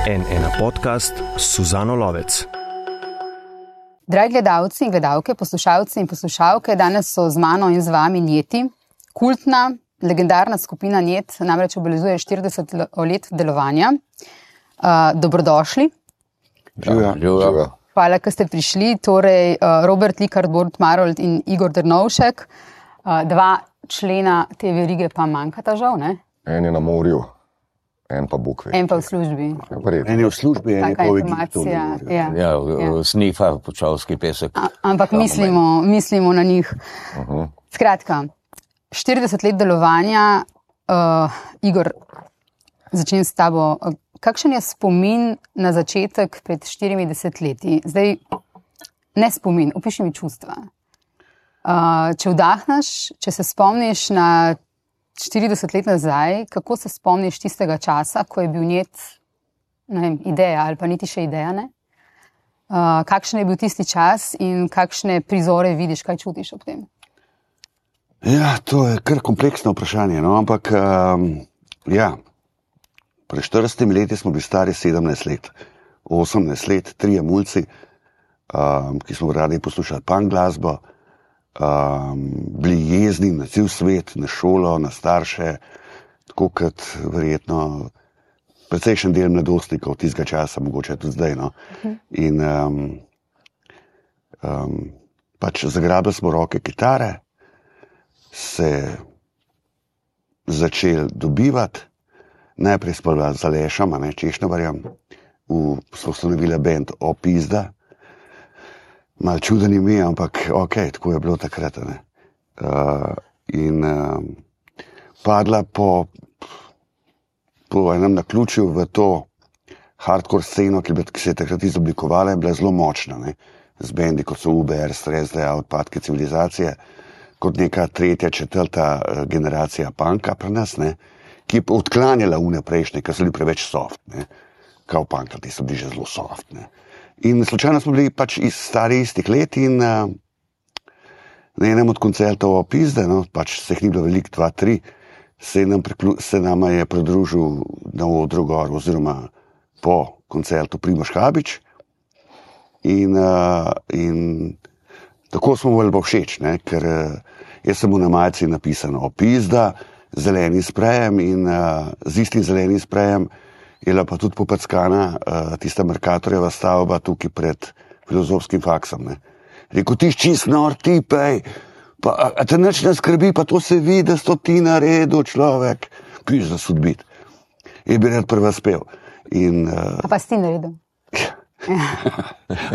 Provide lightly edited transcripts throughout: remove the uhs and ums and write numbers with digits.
N1 podcast s Suzano Lovec. Dragi gledalci in gledalke, poslušalci in poslušalke, danes so z mano in z vami Njeti. Kultna, legendarna skupina Njet namreč obeležuje 40 let delovanja. Dobrodošli. Živijo. Hvala, ker ste prišli. Torej, Robert Likart, Borut Marolt in Igor Drnovšek. Dva člena te verige pa manjkata žal, ne? En je na morju, en pa Bukve. En pa v službi. En je v službi, en je pa v Egiptu. Snifa Počovski pesek. Ampak mislimo na njih. Skratka, 40 let delovanja. Igor, začnem s tabo. Kakšen je spomin na začetek pred 40 leti? Zdaj, ne spomin, opiši mi čustva. Če vdahneš, če se spomniš na 40 let nazaj, kako se spomniš tistega časa, ko je bil Njet, ne vem, ideja ali pa niti še ideja, ne? Kakšen je bil tisti čas in kakšne prizore vidiš, kaj čutiš ob tem? Ja, to je kar kompleksno vprašanje, no, ampak pred 40 leti smo bili stari 17 let, 18 let, 3 mulci, ki smo radi poslušali punk glasbo, bili jezni na cel svet, na šolo, na starše, tako kot verjetno precejšen del mladostnikov tistega časa, mogoče tudi zdaj. No. In pač zagrabili smo roke kitare, se začeli dobivati, najprej spala z Alešem, Češnovarjem, smo ustanovili band Opizda. Malo čuden ime, ampak tako je bilo takrat. Padla po enem naključju v to hardcore sceno, ki se je takrat izoblikovala, je bila zelo močna. Z bendi, kot so UBR, Strezda, Odpadke civilizacije, kot neka tretja, četrta generacija punka pri nas, ki je odklanjala prejšnje, ker so bili preveč soft. Kao punka, ti so bili že zelo soft. In slučajno smo bili pač stari istih let in na enem od koncertov Opizde, pač se jih ni bilo veliko, 2, 3, se nama je pridružil na odru gor oziroma po koncertu Primož Habič in tako smo bili pa všeč, ker jaz sem mu na majici napisan Opizda, zeleni sprejem in z istim zelenim sprejem je bila pa tudi popackana tista Mercatorjeva stavba tukaj pred Filozofskim faksom. Rekel, ti čist nor, ti pej, a te nič ne skrbi, pa to se vidi, da sto ti naredil človek, piš za sodbit. Je bi rad prva spev. A pa si ti naredil?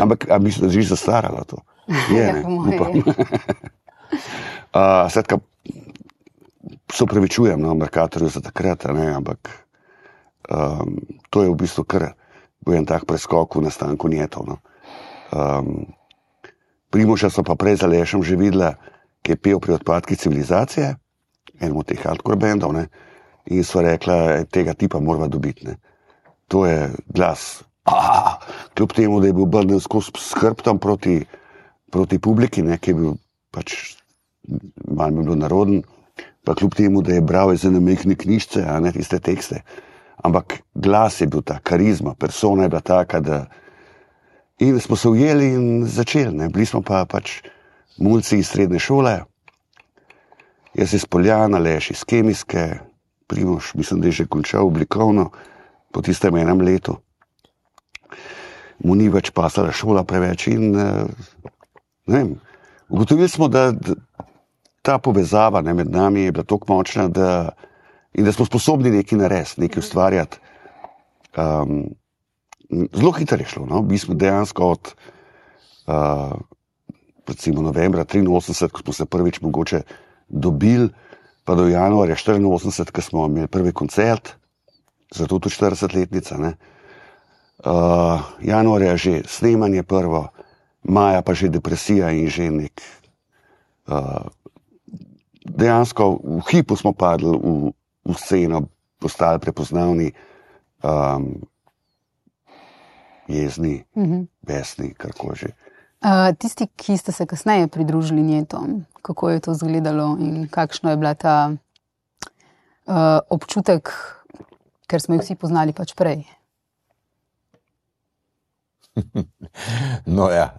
Ampak, a mislim, da že zastarala to? Je, upam. Svetka, se upravičujem, Mercatorju za takrat, ampak to je v bistvu kar bil en tak preskok v nastanku Njetov. Primoža so pa prej z Alešem že videla, ki je pel pri Odpadki civilizacije, enemu od teh hardcore bandov, in so rekla, tega tipa morava dobiti. To je glas, kljub temu, da je bil obrnjen skozi s hrbtom proti publiki, ki je bil pač malo mi bil naroden, pa kljub temu, da je bral iz ene majhne knjižce, tiste tekste. Ampak glas je bil ta, karizma, persona je bila taka, da... In smo se ujeli in začeli, Bili smo pa pač mulci iz srednje šole, jaz iz Poljana, Aleš iz Kemijske, Primož, mislim, da je že končal oblikovno po tistem enem letu. Mu ni več pasala šola preveč in ne vem, ugotovili smo, da ta povezava med nami je bila toliko močna, in da smo sposobni nekaj narediti, nekaj ustvarjati. Zelo hitro je šlo. Bili smo dejansko od recimo novembra 83, ko smo se prvič mogoče dobili, pa do januarja 84, ko smo imeli prvi koncert, zato tudi 40-letnica. Januarja že snemanje prvo, maja pa že depresija in že nek... Dejansko v hipu smo padli v sceno, postali prepoznavni, jezni, besni, karkoli že. Tisti, ki ste se kasneje pridružili Njetom, kako je to izgledalo in kakšno je bila ta občutek, ker smo jih vsi poznali pač prej? No ja,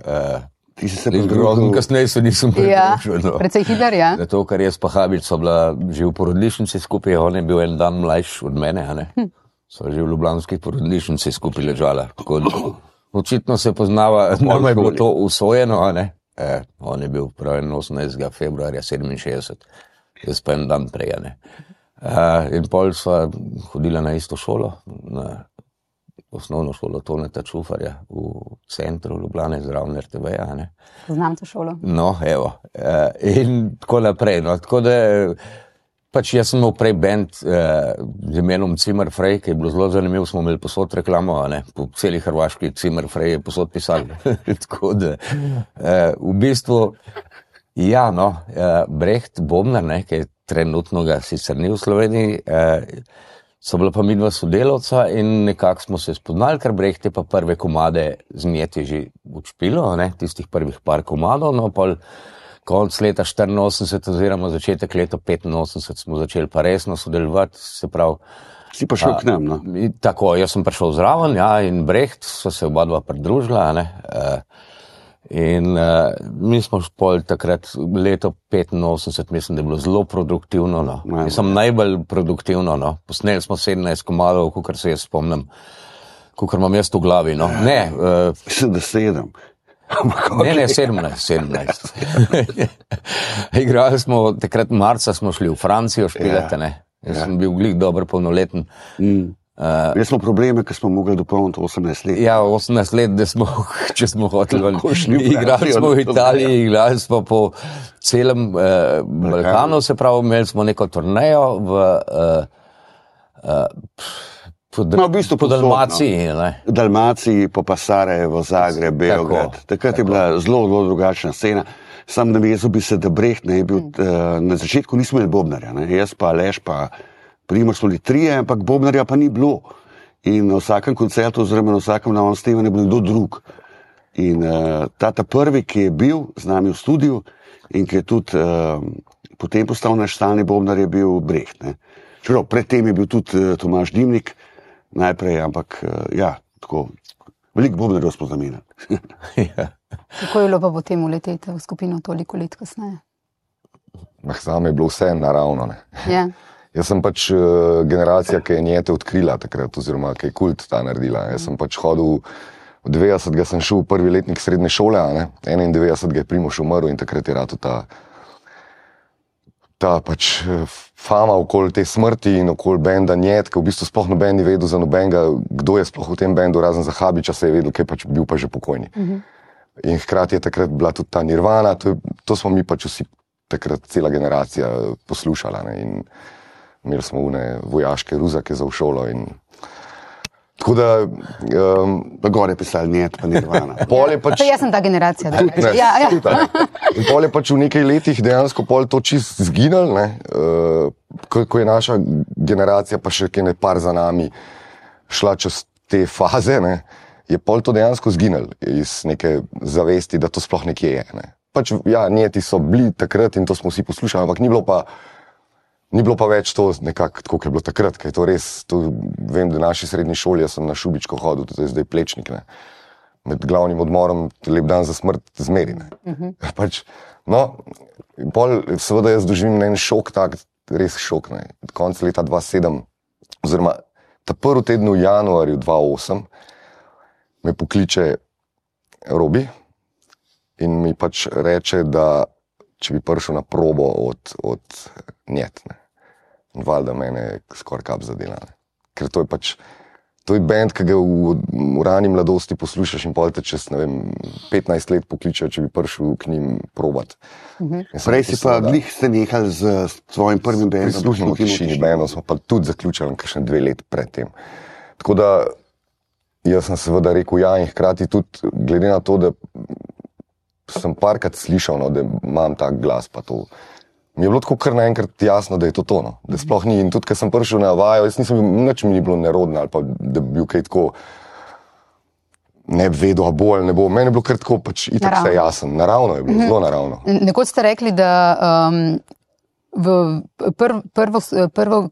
Ti si se grozno kasneje se nisem pridružil. No. Precej hiter, ja. Zato, ker jaz pa Habič so bila že v porodnišnici skupaj, on je bil en dan mlajši od mene, a ne? So že v ljubljanskih porodnišnici skupaj ležala. Očitno se poznava, nama je bilo to usvojeno, a ne? On je bil prav 18. februarja 67, jaz pa en dan prej, a ne? In pol sva hodila na isto šolo, na osnovno šolo Toneta Čufarja v centru Ljubljane zraven RTV-ja, ne? Znam to šolo. No, evo. In tako naprej, no, tako da pač jaz sem imel prej band z imenom Zimmer Frey, ki je bilo zelo zanimivo, smo imeli posod reklamo, a ne, po celi Hrvaški Zimmer Frey je posod pisal. Tako da, v bistvu, ja, no, Brecht Bobnar, ne, ki je trenutno ga sicer ni v Sloveniji, so bila pa midva sodelavca in nekako smo se spoznali, ker Brecht je pa prve komade z Njeti že učpilo, ne, tistih prvih par komadov, no, pol konc leta 84 oziroma začetek leta 85 smo začeli pa resno sodelovati, se pravi. Si pa šel k nam, no? Tako, jaz sem prišel zraven, ja, in Brecht, so se oba dva pridružila, ne, in mi smo pol takrat leto 85, mislim, da je bilo zelo produktivno, no. Mislim, najbolj produktivno, no. Posneli smo 17 komadov, kakor se jaz spomnim, kakor imam jaz v glavi, no. Ne. Mislim, da 7. Ne, 17. Igrali smo, takrat marca smo šli v Francijo špilati, ne. Jaz sem bil glih dober polnoleten. Jaz smo probleme, ker smo mogli dopolniti 18 let. Ja, 18 let, da smo, če smo hoteli, igrali smo v Italiji, igrali smo po celem Balkanu, se pravi, imeli smo neko turnejo v bistvu po Dalmaciji. No. V Dalmaciji, po Sarajevo, Zagreb, Beograd. Takrat je bila zelo drugačna scena. Sam navezal bi se, da Brecht ne je bil, na začetku nismo imeli Bobnarja, ne? Jaz pa Aleš pa Primož smo bili trije, ampak Bobnarja pa ni bilo. In na vsakem koncertu oziroma na vsakem novem snemanju je bil kdo drug. In ta prvi, ki je bil z nami v studiu in ki je tudi potem postal naš stalni Bobnar, je bil Brecht. Ne? Čeprav predtem je bil tudi Tomaž Dimnik najprej, ampak ja, tako veliko Bobnarjev smo zamenjali. Ja. Kako je bilo pa potem uleteti v skupino toliko let kasneje? Zame je bilo vse naravno, ne. Ja. Jaz sem pač generacija, ki je Njete odkrila takrat, oziroma ki je kult ta naredila. Jaz sem pač hodil, v 90 sem šel v prvi letnik srednje šole, a ne, 91 je Primož umrl in takrat je rado ta pač fama okoli te smrti in okoli benda Njet, ki v bistvu sploh noben ni vedel za nobenega, kdo je sploh v tem bendu, razen za Habiča se je vedel, ki je pač bil pa že pokojni. In hkrati je takrat bila tudi ta Nirvana, to smo mi pač vsi takrat cela generacija poslušala, ne, in imeli smo une vojaške ruzake za v šolo in tako da... Pa gore pisali Njet, pa Nirvana. Pač, jaz sem ta generacija. Ja. In pol je pač v nekaj letih dejansko pol to čist zginil, ne, ko je naša generacija pa še kaj par za nami šla čez te faze, ne, je pol to dejansko zginil iz neke zavesti, da to sploh nekje je. Ne. Pač, ja, Njeti so bili takrat in to smo vsi poslušali, ampak ni bilo pa več to nekako tako, kot je bilo takrat, ker je to res, vem, da v naši srednji šoli, jaz sem na Šubičko hodil, to je zdaj Plečnik, ne. Med glavnim odmorom Lep dan za smrt zmeri, ne. Pač, no, pol seveda jaz doživim en šok, tak, res šok, ne. Konec leta 2007, oziroma ta prvi teden v januarju 2008 me pokliče Robi in mi pač reče, da če bi prišel na probo od Njet, ne. Valjda mene skoraj kap zadela, ne. Ker to je pač, to je band, ki ga v rani mladosti poslušaš in pol te čez, ne vem, 15 let pokličejo, če bi prišel k njim probat. Prej si pa glih ste nehali z svojim prvim bandom. Prisluhnimo Tišini bandom, smo pa tudi zaključili kakšne 2 let pred tem. Tako da jaz sem seveda rekel ja in hkrati tudi glede na to, da sem parkrat slišal, no, da imam tak glas pa to. Mi je bilo tako kar naenkrat jasno, da je to to, no. Da sploh ni. In tudi, ker sem prišel na vajo, jaz nisem, nič mi ni bilo nerodno ali pa da bi bil kaj tako ne bi vedel, a bo ali ne bo. Meni je bilo kar tako pač itak vse jasen. Naravno je bilo, zelo naravno. Nekoč ste rekli, da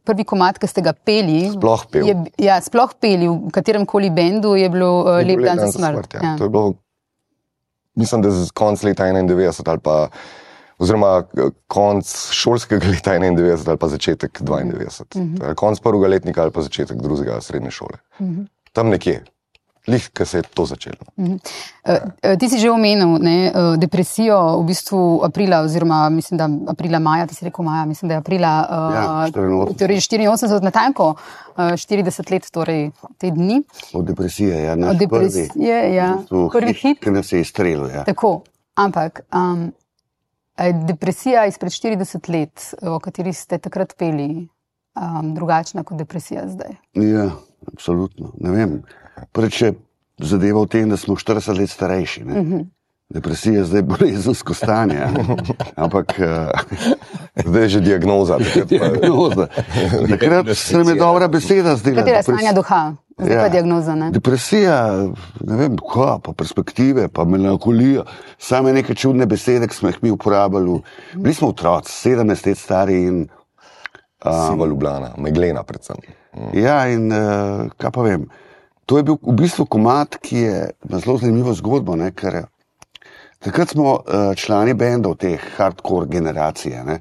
prvi komad, ki ste ga peli, Sploh pel. sploh peli, v katerem koli bendu je bilo Lep dan za smrt. Ja. To je bilo, mislim, da konc leta 91 ali pa, oziroma konc šolskega leta 91 ali pa začetek 92. Konc prvega letnika ali pa začetek drugega srednje šole. Tam nekje. Lih, ko se je to začelo. Ti si že omenil depresijo v bistvu aprila, oziroma mislim, da maja, ti si rekel maja, mislim, da je aprila 84, natanko 40 let, torej te dni. Od depresije, ja. Od depresije, prvi hit. Ki nas je izstrelil, ja. Tako, ampak depresija izpred 40 let, o kateri ste takrat peli, drugačna kot depresija zdaj? Ja, absolutno. Ne vem. Prvič je zadeva v tem, da smo 40 let starejši. Depresija je zdaj bolezensko stanje. Ampak zdaj je že diagnoza. Takrat se nam je dobra beseda zdela. Katera je stanja duha? Zdaj pa diagnoza, ne? Depresija, ne vem, pa perspektive, pa melankolija. Same neke čudne besede, ki smo jih mi uporabljali. Bili smo otroci, 17 let stari in Siva Ljubljana, meglena predvsem. Ja, in kaj pa vem, to je bil v bistvu komad, ki je na zelo zanimivo zgodbo, ne, ker takrat smo člani bendov te hardcore generacije, ne,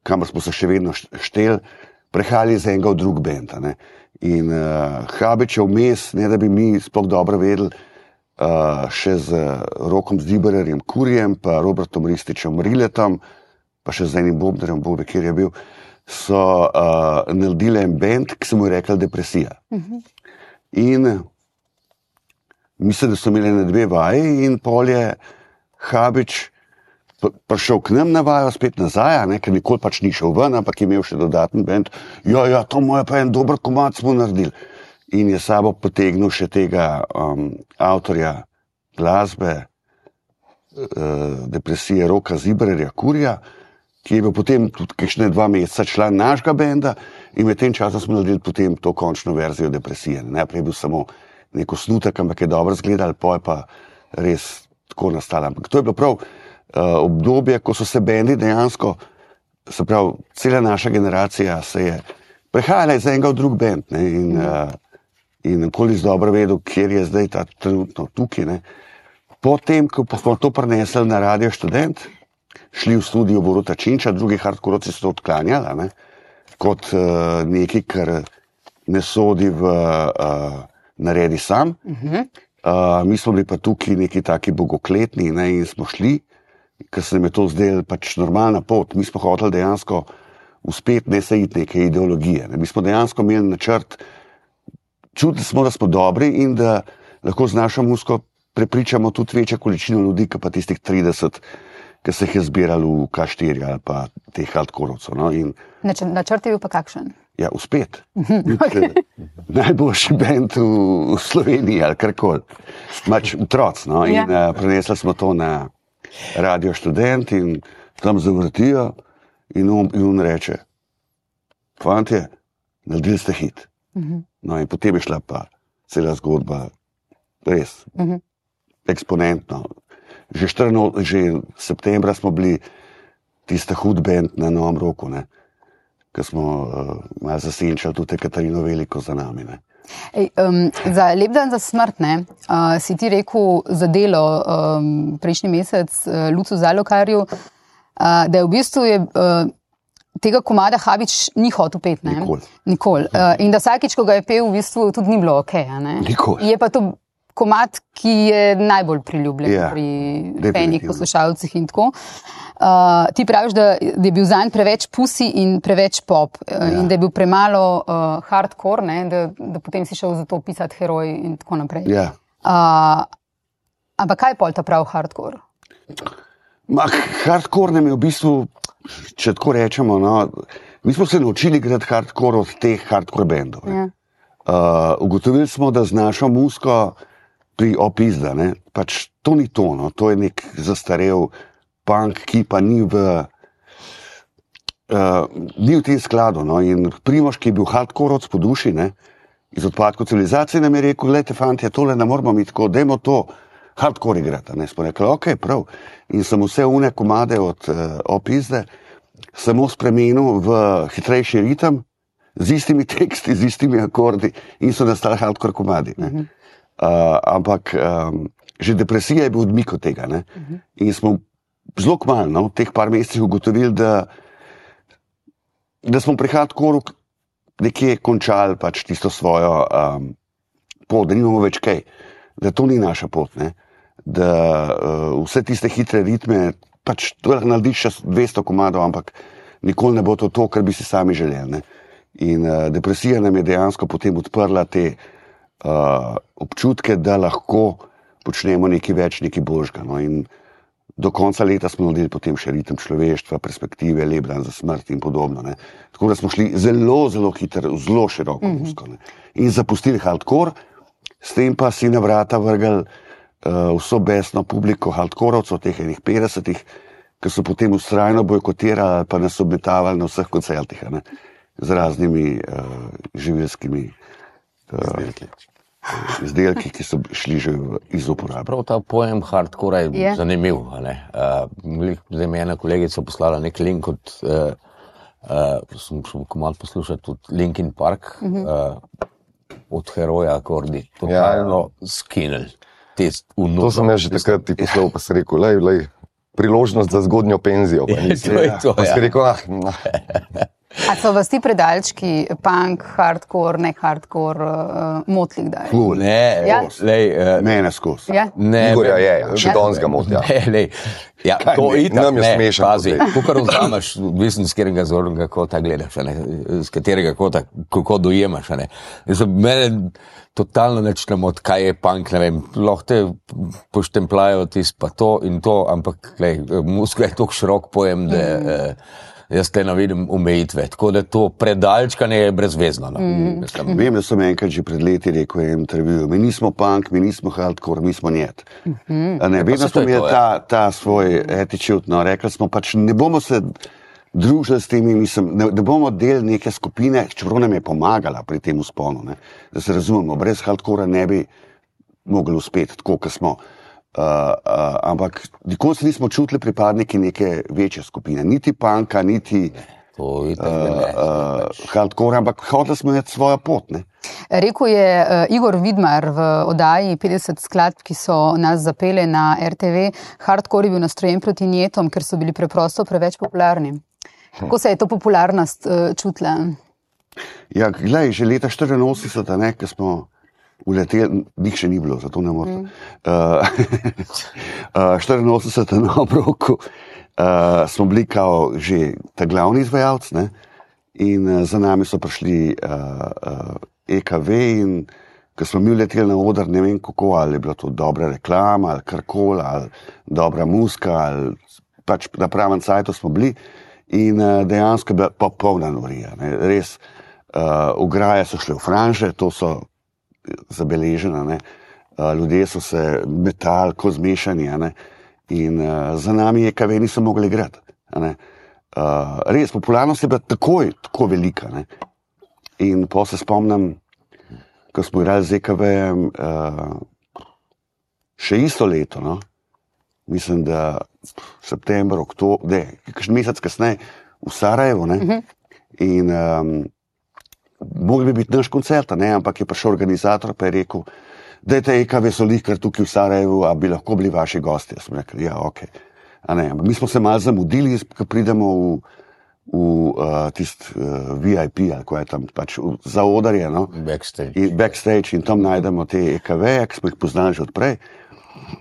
kamor smo se še vedno šteli, prehajali iz enega v drug bend. In Habič je vmes, ne da bi mi sploh dobro vedeli, še z Rokom Zdibarjem Kurjem, pa Robertom Rističem Riletom, pa še z enim Bobnerjem, Bobe, kjer je bil, so naredili en band, ki se mu je rekel Depresija. In mislim, da so imeli na 2 vaji in pol je Habič prišel k nam na vajo, spet nazaj, ker nikoli pač ni šel ven, ampak je imel še dodaten band. Ja, to mu je pa en dober komad smo naredili. In je sabo potegnil še tega avtorja glasbe Depresije Roka Zdibarja Kurja, ki je bil potem tudi kakšne 2 meseca član našega benda in med tem časom smo naredili potem to končno verzijo Depresije. Najprej je bil samo nek osnutek, ampak je dobro izgledal, pol pa res tako nastala. Ampak to je bilo prav obdobje, ko so se bendi dejansko, se pravi, cela naša generacija se je prehajala iz enega v drug bend in koliko dobro vedel, kjer je zdaj ta trenutno tukaj. Potem, ko smo to prinesli na Radio Študent, šli v studio Boruta Činča, drugi hardkorovci so to odklanjali, kot nekaj, kar ne sodi v naredi sam. Mi smo bili pa tukaj neki taki bogokletni in smo šli, ker se nam je to zdelo pač normalna pot. Mi smo hoteli dejansko uspeti, ne se iti neke ideologije. Mi smo dejansko imeli načrt, čutili smo, da smo dobri in da lahko z našo muziko prepričamo tudi večjo količino ljudi, kot pa tistih 30, ki se jih je zbirali v K4 ali pa teh hardkorovcev. Načrt je bil pa kakšen? Ja, uspet. Najboljši bend v Sloveniji ali karkoli. Mač otroc. In prenesli smo to na Radio Študent in tam zavrtijo in on reče, fantje, naredili ste hit. In potem je šla pa cela zgodba res eksponentno. Že septembra smo bili tista hud band na Novem Roku, ko smo malo zasenčali tudi Katarino Veliko za nami. Za Lep dan za smrt, si ti rekel za Delo prejšnji mesec Lucu Zalokarju, da je v bistvu tega komada Habič ni hotel peti. Nikoli. In da vsakič, ko ga je pel, v bistvu tudi ni bilo okej. Nikoli. Je pa to komad, ki je najbolj priljubljen pri fenih poslušalcih in tako. Ti praviš, da je bil zanj preveč pusi in preveč pop in da je bil premalo hardcore, da potem si šel za to pisati Heroj in tako naprej. Ampak kaj je pol ta prav hardcore? Hardcore nam je v bistvu, če tako rečemo, mi smo se naučili igrati hardcore od teh hardcore bendov. Ugotovili smo, da z našo muziko pri Opizda, pač to ni to, to je nek zastarel punk, ki pa ni v tem skladu. In Primož, ki je bil hardkorovc po duši, iz Odpadkov civilizacije, nam je rekel, glejte, fantje, tole ne moramo mi tako, dajmo to hardcore igrati. Smo rekli, ok, prav. In sem vse une komade od Opizde samo spremenil v hitrejši ritem, z istimi teksti, z istimi akordi in so nastali hardcore komadi. Ampak že depresija je bil odmik od tega. Ne? In smo zelo kmalu, v teh par mesecih ugotovili, da smo pri hardcoreu nekje končali pač tisto svojo pot, da nimamo več kaj, da to ni naša pot, ne? Da vse tiste hitre ritme, pač to narediš še 200 komadov, ampak nikoli ne bo to, kar bi si sami želeli. Ne? In depresija nam je dejansko potem odprla te občutke, da lahko počnemo nekaj več, nekaj božga. No? In do konca leta smo naredili potem še ritem človeštva, perspektive, Lep dan za smrt in podobno. Ne? Tako da smo šli zelo, zelo hitro, zelo široko musko. In zapustili hardcore, s tem pa si na vrata vrgli vso besno publiko hardcorovcev, teh enih 50-ih, ki so potem vztrajno bojkotirali pa nas obmetavali na vseh koncertih, ne? Z raznimi živilskimi izdelki, ki so šli že iz uporabe. Prav ta pojem hardcore je zanimiv. Zdaj mi je ena kolegica poslala nek link sem šel komad poslušati tudi Linkin Park, od Heroja akordi. Totalno skinel. To sem jaz že takrat ti poslal, pa si rekel, lej, priložnost za zgodnjo penzijo. Pa si rekel, A so vas ti predalčki, punk, hardcore, ne hardcore, motli kdaj? Mene skozi. Igorja je, še danes ga moti. To itak nam je smešno. Pazi, kukor vzameš, odvisno z katerega zornega kota gledaš, z katerega kota, kako dojemaš. Mene totalno nečnemo, kaj je punk, ne vem, lahko te poštemplajo pa to in to, ampak muska je toliko širok pojem, da jaz te navidim omejitve, tako da to predalčkanje je brezvezno. Vem, da sem enkrat že pred leti rekel v intervjuju, mi nismo punk, mi nismo hardcore, mi smo njet. Vedno smo imeli ta svoj attitude, rekli smo pač, ne bomo se družili s temi, ne bomo del neke skupine, čeprav nam je pomagala pri tem vzponu, da se razumemo, brez hardcora ne bi mogli uspeti, tako kot smo. Ampak nikoli se nismo čutili pripadniki neke večje skupine, niti punka, niti hardcore, ampak hodili smo imeti svojo pot. Ne? Rekel je Igor Vidmar v oddaji 50 skladb, ki so nas zapele na RTV, hardcore je bil nastrojen proti njetom, ker so bili preprosto preveč popularni. Kako se je to popularnost čutila? Ja, glej, že leta 84, ko smo uleteli, njih še ni bilo, zato ne morem. 84 na obroku smo bili kao že ta glavni izvajalc, ne? In za nami so prišli EKV in ko smo mi uleteli na oder, ne vem kako, ali je bila to dobra reklama, ali karkoli, ali dobra muska, ali pač na pravem cajtu smo bili in dejansko je bila popolna norija. Ne? Res, ograje so šle v franže, to so zabeležena, ljudje so se metali, ko zmešani, in za nami EKV niso mogli igrati. Res, popularnost je bila tako velika. In potem se spomnim, ko smo igrali z EKV-jem še isto leto, mislim, da september, oktober, kakšen mesec kasneje v Sarajevu, in mogli bi biti naš koncert, ampak je prišel organizator pa je rekel, dajte EKV so kar tukaj v Sarajevu, a bi lahko bili vaši gosti. Jaz sem rekel, ja, ok. Mi smo se malo zamudili, ko pridemo v tist VIP, ali ko je tam pač za odarje, backstage in tam najdemo te EKV-je, ki smo jih poznali že odprej.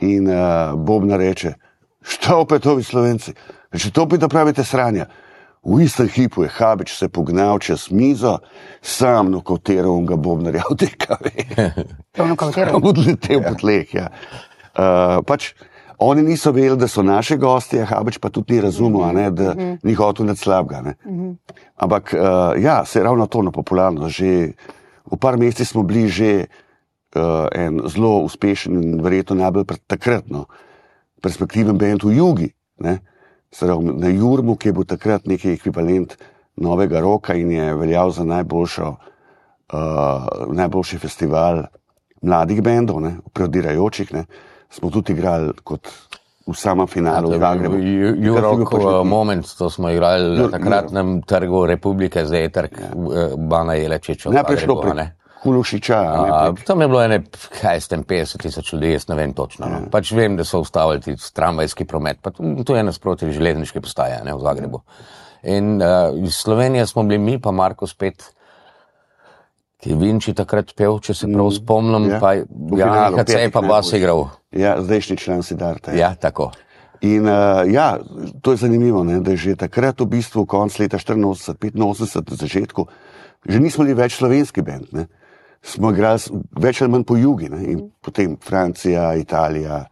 In Bobna reče, šta opet ovi Slovenci? Reče, to opet da pravite sranja. V istem hipu je Habič se pognal čez mizo, sam nokavtiral on ga Bobnarja v DKV. Odletel po tleh, ja. Pač, oni niso vedeli, da so naši gosti, Habič pa tudi ni razumel, da ni hotel nič slabega. Ampak, ja, se je ravno to na popularno. Že v par mesecih smo bili že en zelo uspešen in verjetno najbolj takrat, perspektiven band v Jugi, na Jurmu, ki je bil takrat neki ekvivalent novega roka in je veljal za najboljši festival mladih bendov, prodirajočih, smo tudi igrali kot v samem finalu v Zagrebu. Jurok moment, to smo igrali na takratnem trgu Republike, zdaj je trg Bana Jelečiča. Najprej šlo prek Hulušiča. Tam je bilo 50,000 ljudi, jaz ne vem točno. No. Pač vem, da so ustavili tramvajski promet, pa to je nasproti železniške postaje v Zagrebu. In iz Slovenije smo bili mi, pa Marko spet, ki je Vinči takrat pel, če se prav spomnim, pa Jan Hacej pa bas igral. Ja, zdajšnji član Siddharta. Ja, tako. In to je zanimivo, ne, da je že takrat v bistvu konc leta 84, 85, na začetku, že nismo bili več slovenski band, ne. Smo igrali več ali manj po jugi, ne, in potem Francija, Italija,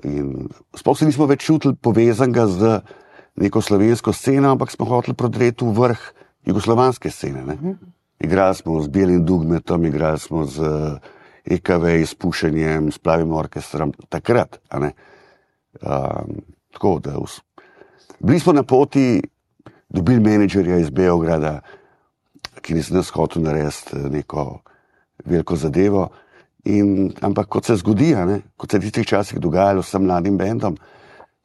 in sploh se nismo več čutili povezanega z neko slovensko sceno, ampak smo hoteli prodreti v vrh jugoslovanske scene, ne. Igrali smo z Belim Dugmetom, igrali smo z EKV izpušenjem, s Plavim orkestrom, takrat, a ne. Tako da bili smo na poti, dobili menedžerja iz Beograda, ki ni z nas hotel narediti neko veliko zadevo. Ampak kot se zgodi, kot se v tistih časih dogajalo s mladim bendom,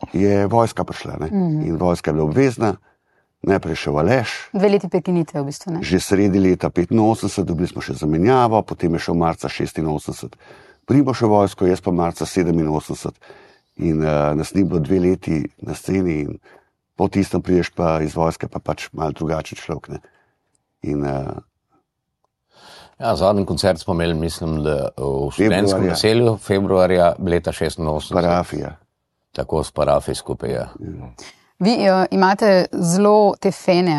je vojska prišla. Ne? In vojska je bila obvezna, najprej še Aleš. 2 leti prekinitve v bistvu. Ne? Že sredi leta 85, dobili smo še zamenjavo, potem je šel marca 86. Primo še vojsko, jaz pa marca 87. In nas ni bilo 2 leti na sceni in po tistem priješ pa iz vojske pa pač malo drugačen človek. Ne? Zadnji koncert smo imeli, mislim, da v študentskem naselju, februarja leta 86. Parafija. Tako s Parafij skupaj, ja. Vi imate zelo te fene,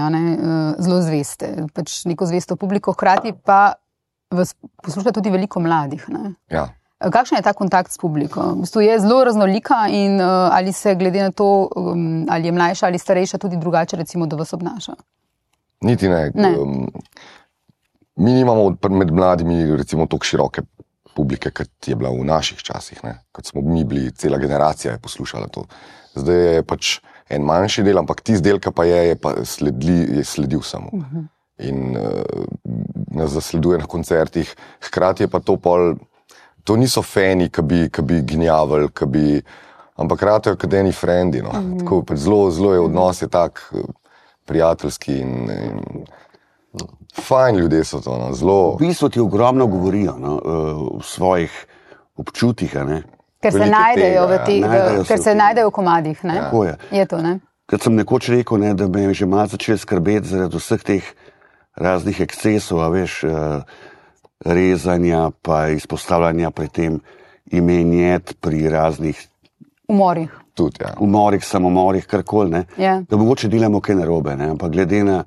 zelo zveste, pač neko zvesto publiko, hkrati pa vas posluša tudi veliko mladih. Ne? Ja. Kakšen je ta kontakt s publiko? V bistvu je zelo raznolika in ali se glede na to, ali je mlajša ali starejša, tudi drugače recimo do vas obnaša? Niti ne. Mi nimamo med mladimi recimo toliko široke publike, kot je bila v naših časih. Ne? Kot smo mi bili, cela generacija je poslušala to. Zdaj je pač en manjši del, ampak tisti del, ki pa je sledil samo. In nas zasleduje na koncertih. Hkrati je pa to to niso fani, ki bi gnjavili, ampak ratejo kot eni frendi. No? Tako, pač zelo je odnos je tak prijateljski in fajn ljudje so to, no, zelo. V bistvu ti ogromno govorijo, no, v svojih občutih, ne. Ker se najdejo ker se najdejo v komadih, ne. Tako je. Je to, ne. Kad sem nekoč rekel, ne, da me je že malo začel skrbeti zaradi vseh teh raznih ekscesov, rezanja pa izpostavljanja pri tem imenjet, pri raznih umorih. Tudi, ja. Umorih, samomorih, karkoli, ne. Ja. Da mogoče delamo kaj narobe, ne, ampak glede na,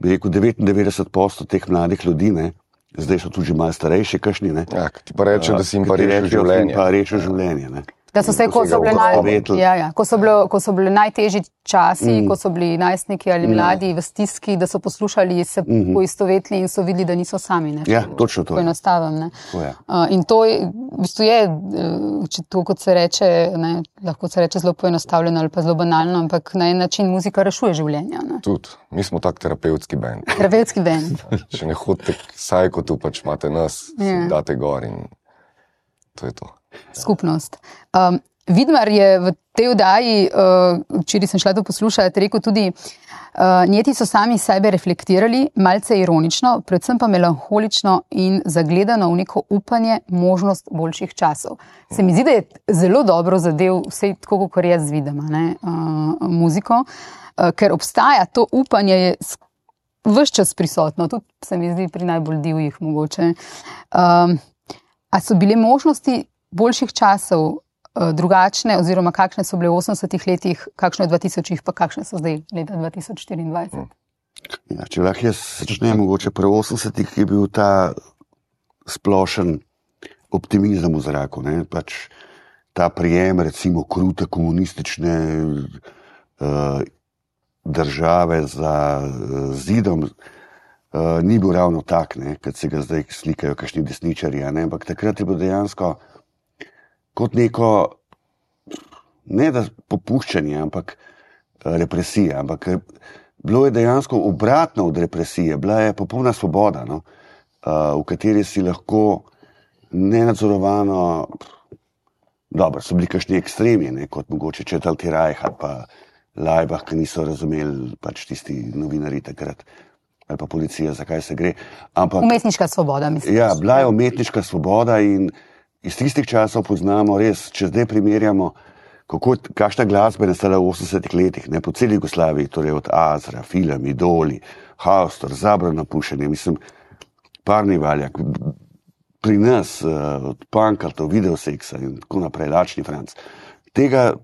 bi rekel, 99% teh mladih ljudi, ne, zdaj so tudi že malo starejši, kakšni, ne. Ja, ti pa rečejo, da si jim pa rešil življenje. Pa rešil življenje, ne. Da so se, ko so bili najtežji časi, ko so bili najstniki ali mladi v stiski, da so poslušali, se poistovetili in so videli, da niso sami. Ne? Ja, točno to. Poenostavim. Ne? In to je, v bistvu je, če to, kot se reče, ne, lahko se reče zelo poenostavljeno ali pa zelo banalno, ampak na en način muzika rešuje življenja. Ne? Tudi. Mi smo tak terapevtski band. Terapevtski band. Če ne hodite k sajkotu, pač imate nas, date gor in to je to. Skupnost. Vidmar je v tej oddaji, včeraj sem šla to poslušati, rekel tudi, njeti so sami sebe reflektirali, malce ironično, predvsem pa melanholično in zagledano v neko upanje, možnost boljših časov. Se mi zdi, da je zelo dobro zadev, vse tako, kot jaz vidim, muziko, ker obstaja to upanje, je ves čas prisotno, tudi se mi zdi pri najbolj divjih mogoče. A so bile možnosti boljših časov drugačne, oziroma kakšne so bile v 80-ih letih, kakšne v 2000-ih, pa kakšne so zdaj leta 2024? Ja, če lahko jaz začnem mogoče pri 80-ih, je bil ta splošen optimizem v zraku, ne? Pač ta prijem, recimo, krute komunistične države za zidom ni bil ravno tak, ne? Kad se ga zdaj slikajo kakšni desničarji, ne? Ampak takrat je bilo dejansko kot neko, ne da popuščanje, ampak represija, ampak bilo je dejansko obratno od represije, bila je popolna svoboda, no? V kateri si lahko nenadzorovano Dobro, so bili kakšni ekstremi, ne, kot mogoče Četrti Rajh ali pa Laibach, ki niso razumeli pač tisti novinarji takrat, ali pa policija, zakaj se gre. Ampak, umetniška svoboda, mislim. Ja, bila je umetniška svoboda in iz tistih časov poznamo res, če zdaj primerjamo, kakšna glasba je nastala v 80-ih letih, ne, po celi Jugoslaviji, torej od Azra, Film, Idoli, Haustor, Zabrano pušenje, mislim, Parni Valjak, pri nas, od Pankrtov, Videoseksa in tako naprej, Lačni Franc. Tega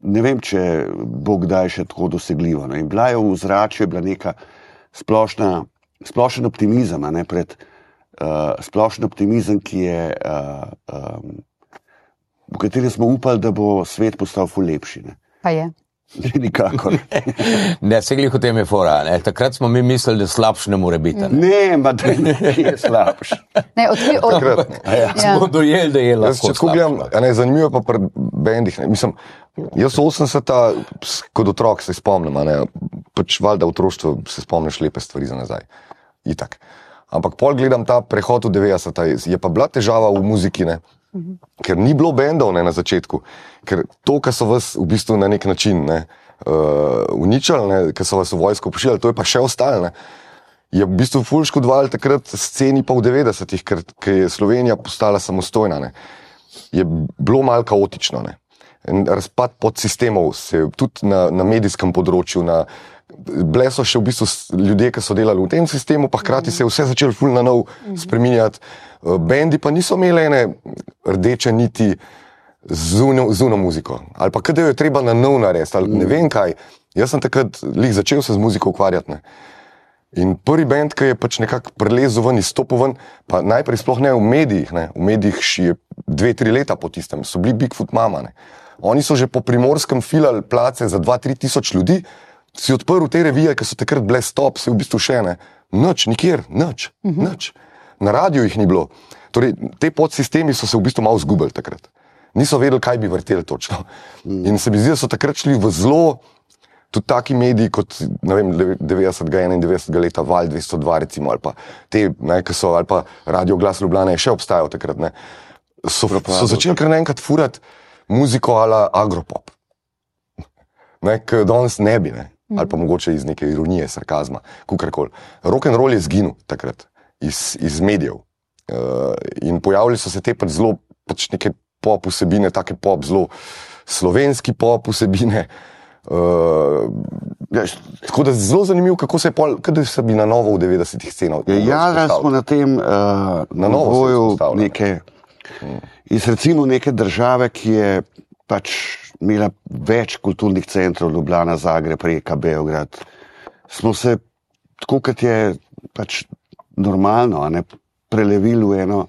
ne vem, če bo kdaj še tako dosegljivo. Ne. In bila je v ozračju, je bila neka splošen optimizem, ne, splošen optimizem, ki je, v katerem smo upali, da bo svet postal ful lepši. Ne. Pa je. Nikakor. Ne, se glih o tem je fora. Ne. Takrat smo mi mislili, da slabš ne more biti. Ne, ma da je slabš. Ne, Smo dojeli, da je lahko Če tako gledam, zanimivo pa pri bendih. Mislim, jaz 80-ta, kot otrok se spomnim, pač valjda v otroštvu se spomniš lepe stvari za nazaj. Itak. Ampak pol gledam ta prehod v 90-ta, je pa bila težava v muziki, ne? Ker ni bilo bendov, ne, na začetku, ker to, kar so vas v bistvu na nek način uničili, ne, kar so vas v vojsko pošiljali, to je pa še ostalo, ne, je v bistvu ful škodovalo takrat sceni pa v 90-ih, ker je Slovenija postala samostojna, ne, je bilo malo kaotično, ne. Razpad podsistemov se tudi na medijskem področju, bile so še v bistvu ljudje, ki so delali v tem sistemu, pa hkrati se je vse začelo ful na nov spreminjati. Bendi pa niso imeli ene rdeče niti zuno muziko. Ali pa kada jo je treba na nov narediti, ali ne vem kaj. Jaz sem takrat začel se z muziko ukvarjati. Ne. In prvi bend, ki je pač nekako prelezel ven, izstopil ven, pa najprej sploh ne v medijih, ne. V medijih je 2-3 leta po tistem, so bili Bigfoot Mama. Ne. Oni so že po Primorskem filali place za 2-3 tisoč ljudi, si odprl te revije, ki so takrat bile stop, si v bistvu še ne. Nič, nikjer, nič. Na radiju jih ni bilo. Torej, te podsistemi so se v bistvu malo zgubili takrat. Niso vedeli, kaj bi vrteli točno. In se mi zdi, da so takrat šli v zelo, tudi taki mediji kot, ne vem, 90-91 leta, Val 202 recimo, ali pa te, ne, ki so, ali pa Radio Glas Ljubljana je še obstajal takrat, ne. So začeli kar naenkrat furati muziko ala agropop. Ne, ki danes ne bi, ne. Ali pa mogoče iz neke ironije, sarkazma, kukarkoli. Rock'n'roll je zginil takrat. Iz medijev. In pojavili so se te pač zelo pač neke pop vsebine, take pop, zelo slovenski pop vsebine. Tako da zelo zanimivo, kako se je kada se bi na novo v 90-ih scenah. Ja, smo na tem voju neke, iz recimo neke države, ki je pač imela več kulturnih centrov, Ljubljana, Zagreb, Rijeka, Beograd. Smo se, tako kot je pač normalno, ne, prelevili v eno,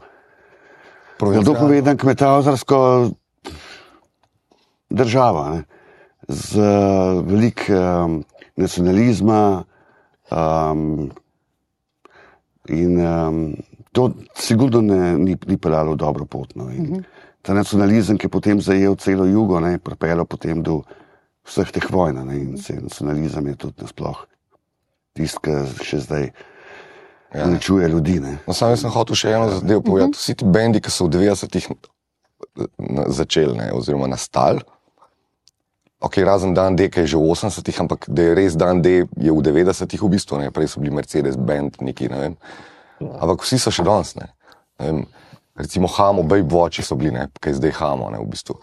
kako povedam, kmetavzarsko državo, ne, z veliko nacionalizma in to sigurno ni peljalo v dobro pot. No, ta nacionalizem, ki je potem zajel celo jugo, ne, pripeljal potem do vseh teh vojn, ne, in nacionalizem je tudi nasploh tisti, ki še zdaj uničuje ljudi. Ne. No, sam sem hotel še eno zadevo povedati. Vsi ti bendi, ki so v 90-ih začeli, ne, oziroma nastali, razen Dan D, ki je že v 80-ih, ampak da je res Dan D je v 90-ih v bistvu, ne, prej so bili Mercedes band, neki, ne vem. Ampak vsi so še danes, ne. Recimo Hamo, Babe Watchi so bili, ne, kaj zdaj Hamo, ne, v bistvu.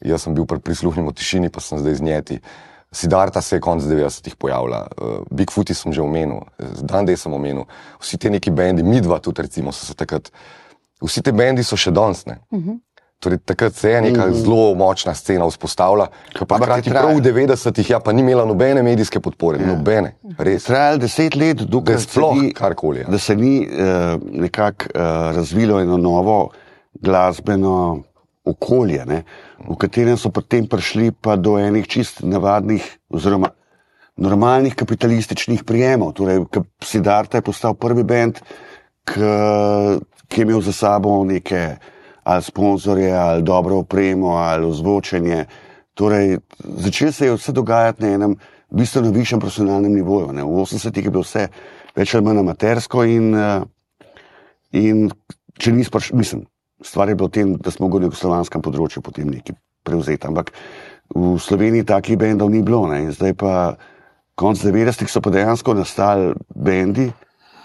Jaz sem bil pri Prisluhnimo tišini, pa sem zdaj z Njeti. Siddharta se je konc 90-ih pojavila, Bigfooti sem že omenil, Dan D sem omenil, vsi te neki bendi, Midva tudi recimo so se takrat, vsi te bendi so še danes, ne. Torej takrat se je neka zelo močna scena vzpostavila, pa hkrati prav v 90-ih, ja, pa ni imela nobene medijske podpore, nobene, res. Trajalo 10 let, dokaj da se ni nekako razvilo eno novo glasbeno okolje, ne, v katerem so potem prišli pa do enih čist navadnih oziroma normalnih kapitalističnih prijemov. Torej, Siddharta je postal prvi bend, ki je imel za sabo neke ali sponzorje, ali dobro opremo, ali ozvočenje. Torej, začelo se je vse dogajati na enem bistveno višjem profesionalnem nivoju. Ne. V 80-ih je bilo vse več ali manj amatersko in če nisi mislim, stvar je bila v tem, da smo mogli v slovanskem področju potem nekaj prevzeti. Ampak v Sloveniji takih bendov ni bilo. Ne? In zdaj pa konc 90-ih so pa dejansko nastali bendi,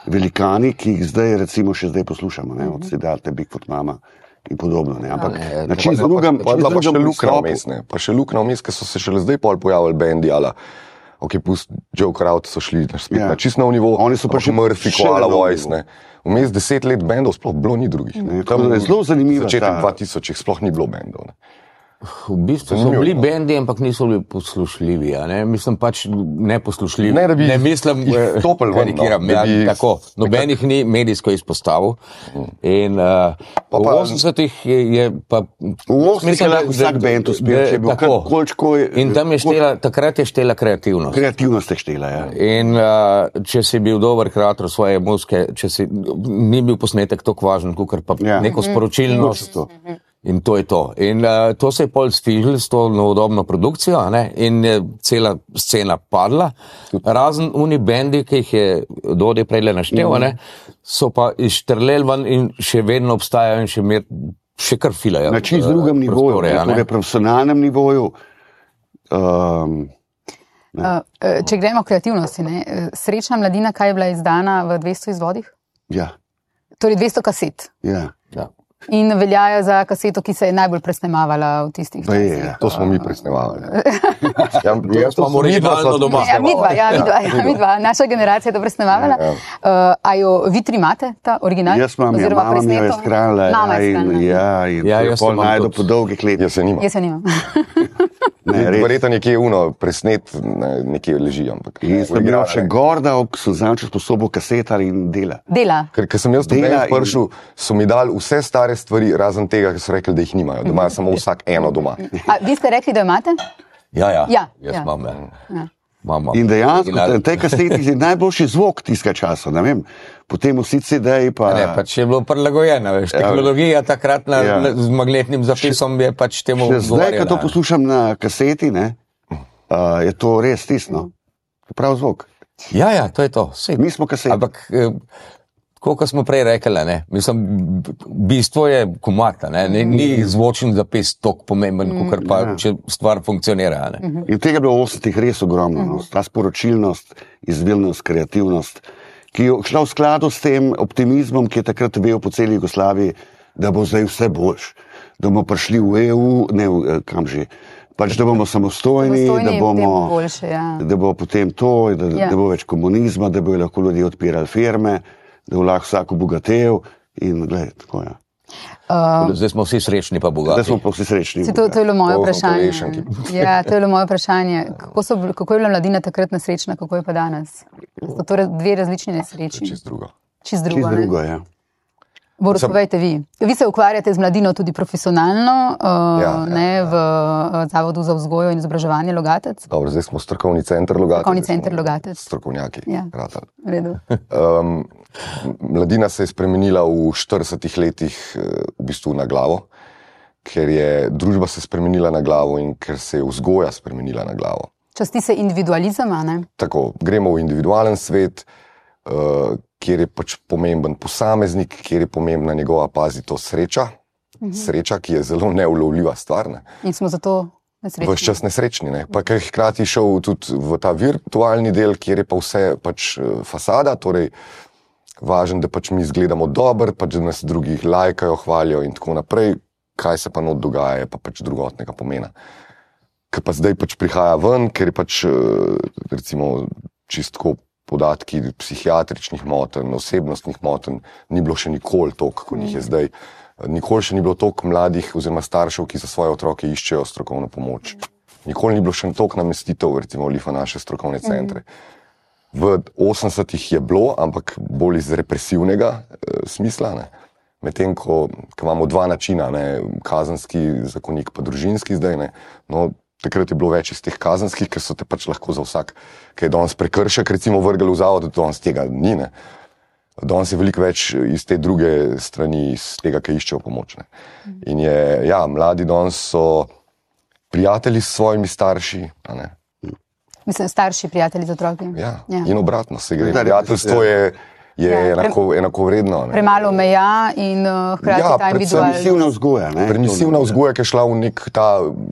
velikani, ki jih zdaj recimo še zdaj poslušamo. Ne? Od Siddharte, Bigfoot Mama in podobno. Ne? Ampak na čim drugem pa še Lukna vmes, ne. Pa še Lukna vmes, ker so se šele zdaj pol pojavili bendi, ala ok, pust Joe Crowd so šli spet na čist nov nivo. Oni so pa še Murphy, Koala Voice, ne. Vmes 10 let bendov sploh bilo ni drugih. Ne. Tako da je zelo zanimivo. Začetek 2000 sploh ni bilo bendov. Ne. V bistvu so bili bendi, ampak niso bili poslušljivi. Mislim pač neposlušljivi. Ne, da bi mislim, stopili ven. Karikiram, Da bi- tako. Nobenih ni medijsko izpostavil. In v 80-ih je pa... V 80-ih je lahko vsak bend uspel, če je bil tako. kolčko... In tam je takrat je štela kreativnost. Kreativnost je štela, ja. In če si bil dober kreator svoje muzike, ni bil posnetek tako važen, kakor pa neko sporočilnost. In to je to. In to se je pol sfižil s to novodobno produkcijo, ne? In je cela scena padla. Razen uni bendi, ki jih je Dodi prejle naštel, ne? So pa izštrleli ven in še vedno obstajajo in še kar filajo. Na čisto drugem nivoju, torej profesionalnem nivoju. Če gremo v kreativnosti, ne? Srečna mladina, kaj je bila izdana v 200 izvodih? Ja. Torej 200 kaset. Ja. In veljajo za kaseto, ki se je najbolj presnemavala v tistih časih. To smo mi presnemavali. Jaz imam originalno doma. Midva, naša generacija je to presnemavala. A jo vi tri imate, ta original? Jaz imam, mama mi jo je skranila. In jaz pol najdu po dolgih letih. Jaz se nimam. Jaz se nimam. Verjetno nekje presnet, nekje leži, ampak... In sem bil še gorda, so zanče sposobo kasetar in dela. Ker sem jaz tukaj prišel, so mi dali vse stare stvari, razen tega, ker so rekli, da jih nimajo. Da imajo samo vsak eno doma. A vi ste rekli, da imate? Ja. Ja. Imam. In dejansko, na tej kaseti je najboljši zvok tistega časa, ne vem. Potem vsi CD-ji pa... Ne, pač je bilo prilagojeno, veš. Tehnologija takrat z magnetnim zapisom je pač temu odgovarjala. Zdaj, ko to ne. poslušam na kaseti, ne, je to res tisto. Prav zvok. Ja, to je to. Sej. Mi smo kaseti. Ampak, kot smo prej rekli, ne, mislim, bistvo je komata, ne, ni zvočen zapis toliko pomemben, kot pa, če stvar funkcionira, ne. In tega je bilo v 80-ih res ogromno. No. Ta sporočilnost, izvilnost, kreativnost, ki je šla v skladu s tem optimizmom, ki je takrat vel po celi Jugoslaviji, da bo zdaj vse boljš, da bomo prišli v EU, ne kam že, pač da bomo samostojni, da bomo boljše, da bo potem to, da bo več komunizma, da bo lahko ljudje odpirali firme, da bo lahko vsak obogatel in gledaj, tako je. Zdaj smo vsi srečni pa bogati. Zdaj smo pa vsi srečni. To je bilo moje vprašanje. Ja, to je bilo moje vprašanje. Kako je bila mladina takrat nesrečna, kako je pa danes? So torej dve različni nesreči. Čist drugo. Čist drugo, ja. Boris, povejte vi. Vi se ukvarjate z mladino tudi profesionalno, v Zavodu za vzgojo in izobraževanje Logatec? Dobro, zdaj smo strokovni center Logatec. Strokovni center Logatec. Strokovnjaki. Ja. V redu. Mladina se je spremenila v 40 letih v bistvu na glavo, ker je družba se spremenila na glavo in ker se je vzgoja spremenila na glavo. Časti se individualizem, a ne? Tako, gremo v individualen svet, kjer je pač pomemben posameznik, kjer je pomembna njegova, pazi to, sreča. Sreča, ki je zelo neulovljiva stvar. Ne? In smo zato nesrečni. Ves čas nesrečni. Ne? Pa ker je hkrati šel tudi v ta virtualni del, kjer je pa vse pač fasada, torej važen, da pač mi izgledamo dobro, pač da nas drugi lajkajo, hvalijo in tako naprej. Kaj se pa not dogaja, je pa pač drugotnega pomena. Ker pa zdaj pač prihaja ven, ker je pač recimo čistko podatki psihiatričnih motenj, osebnostnih motenj, ni bilo še nikoli toliko, kot jih je zdaj. Nikoli še ni bilo toliko mladih oziroma staršev, ki za svoje otroke iščejo strokovno pomoč. Nikoli ni bilo še toliko namestitev, recimo v naše strokovne centre. V 80-ih je bilo, ampak bolj iz represivnega smisla, ne. Medtem, ko imamo dva načina, ne, kazenski zakonik pa družinski zdaj, ne, no, takrat je bilo več iz teh kazenskih, ker so te pač lahko za vsak, ki je danes prekršek, recimo vrgli v zavod, danes tega ni, ne. Danes je veliko več iz te druge strani, iz tega, ki iščejo pomoč, ne. In je, ja, mladi danes so prijatelji s svojimi starši, a ne. Mislim, starši prijatelji z otroki. Ja, in obratno se gre. Prijateljstvo je je enakovredno. Premalo meja in hkrati ta individualnost. Permisivna vzgoja. Permisivna vzgoja, ki je šla v nek ta,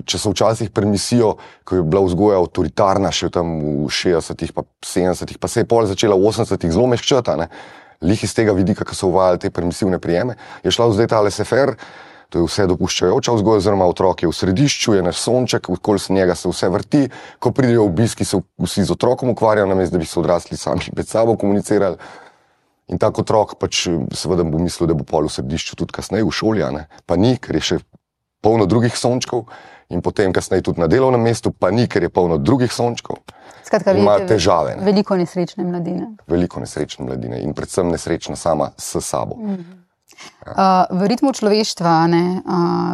če so včasih permisijo, ko je bila vzgoja avtoritarna še tam v 60-ih pa 70-ih, pa se je pol začela v 80-ih zelo mehčata, lih iz tega vidika, ko so uvajali te permisivne prijeme, je šla zdaj ta laissez-faire, to je vse dopuščajoča vzgoja, oziroma otrok je v središču, je naš sonček, okoli njega se vse vrti, ko pridejo obiski, se vsi z otrokom ukvarjajo, namesto da bi se odrasli sami med sabo komunicirali. In tak otrok pač seveda bo mislil, da bo pol v središču tudi kasneje v šoli, pa ni, ker je še polno drugih sončkov, in potem kasneje tudi na delovnem mestu, pa ni, ker je polno drugih sončkov. Skratka, ima težave. Veliko nesrečne mladine. Veliko nesrečne mladine in predvsem nesrečna sama s sabo. V ritmu človeštva,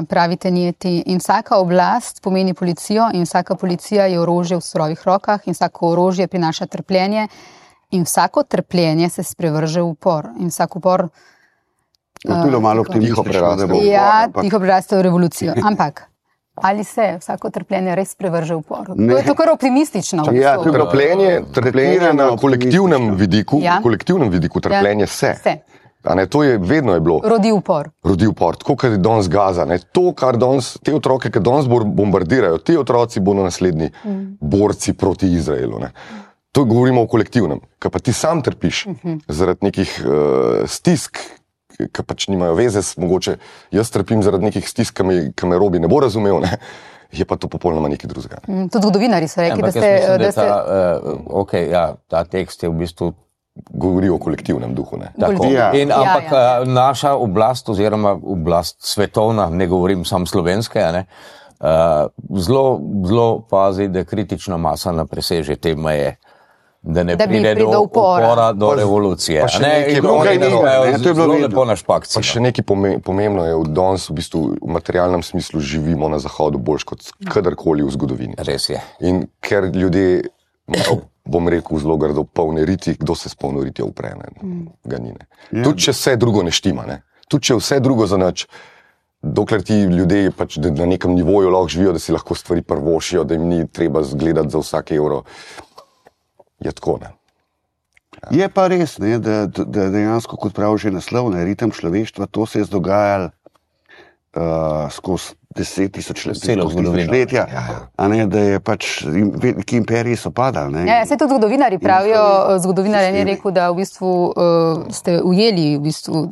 pravite Njeti, in vsaka oblast pomeni policijo in vsaka policija je orožje v surovih rokah in vsako orožje prinaša trpljenje in vsako trpljenje se sprevrže v upor in vsak upor tiho preraste v revolucijo. Ampak ali se vsako trpljenje res prevrže v upor? To je to kar optimistično. Trpljenje na kolektivnem vidiku trpljenje se. To je vedno je bilo. Rodi upor. Tako, kar je danes Gaza. To, kar danes, te otroke, ki danes bombardirajo, ti otroci bodo naslednji borci proti Izraelu. To govorimo o kolektivnem. Kaj pa ti sam trpiš zaradi nekih stisk, ki pač nimajo veze, mogoče jaz trpim zaradi nekih stisk, ki me Robi ne bo razumel, je pa to popolnoma nekaj drugega. Tudi zgodovinari so rekli, da ste... Ta tekst je v bistvu govori o kolektivnem duhu. Ampak naša oblast oziroma oblast svetovna, ne govorim sam slovenske, zelo pazi, da kritična masa ne preseže te meje, da ne pride do upora, do revolucije. To je bilo lepo na špakci. Pa še nekaj pomembno je, danes v bistvu v materialnem smislu živimo na zahodu bolj kot kadarkoli v zgodovini. Res je. In ker ljudje, bom rekel zelo grdo, polne riti, kdo se s polno ritijo upre, ganine. Tudi če vse drugo ne štima, tudi če vse drugo za nič, dokler ti ljudje pač na nekem nivoju lahko živijo, da si lahko stvari prvošijo, da jim ni treba zgledati za vsak evro, je tako, Je pa res, da dejansko, kot pravi že naslov, ritem človeštva, to se je dogajalo skozi 10 tisočletja, da je pač, ki imperiji so padali. Se tudi zgodovinari pravijo, zgodovinar je rekel, da v bistvu ste ujeli v bistvu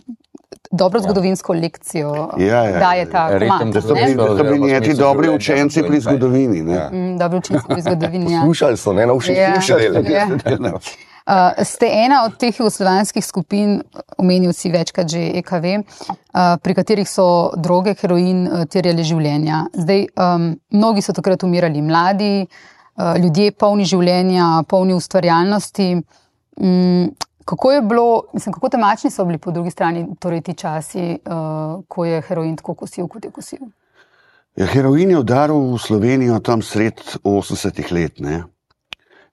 dobro zgodovinsko lekcijo, daje ta komat. Da so bili njeti dobri učenci pri zgodovini. Dobri učenci pri zgodovini, Slušali so, na všeč slušali. Ste ena od teh jugoslovanskih skupin, omenil si večkrat že EKV, pri katerih so droge, heroin terjali življenja. Zdaj, mnogi so takrat umirali mladi, ljudje polni življenja, polni ustvarjalnosti. Kako je bilo, kako temačni so bili po drugi strani torej ti časi, ko je heroin tako kosil, kot je kosil? Heroin je udaril v Slovenijo tam sred 80-ih let,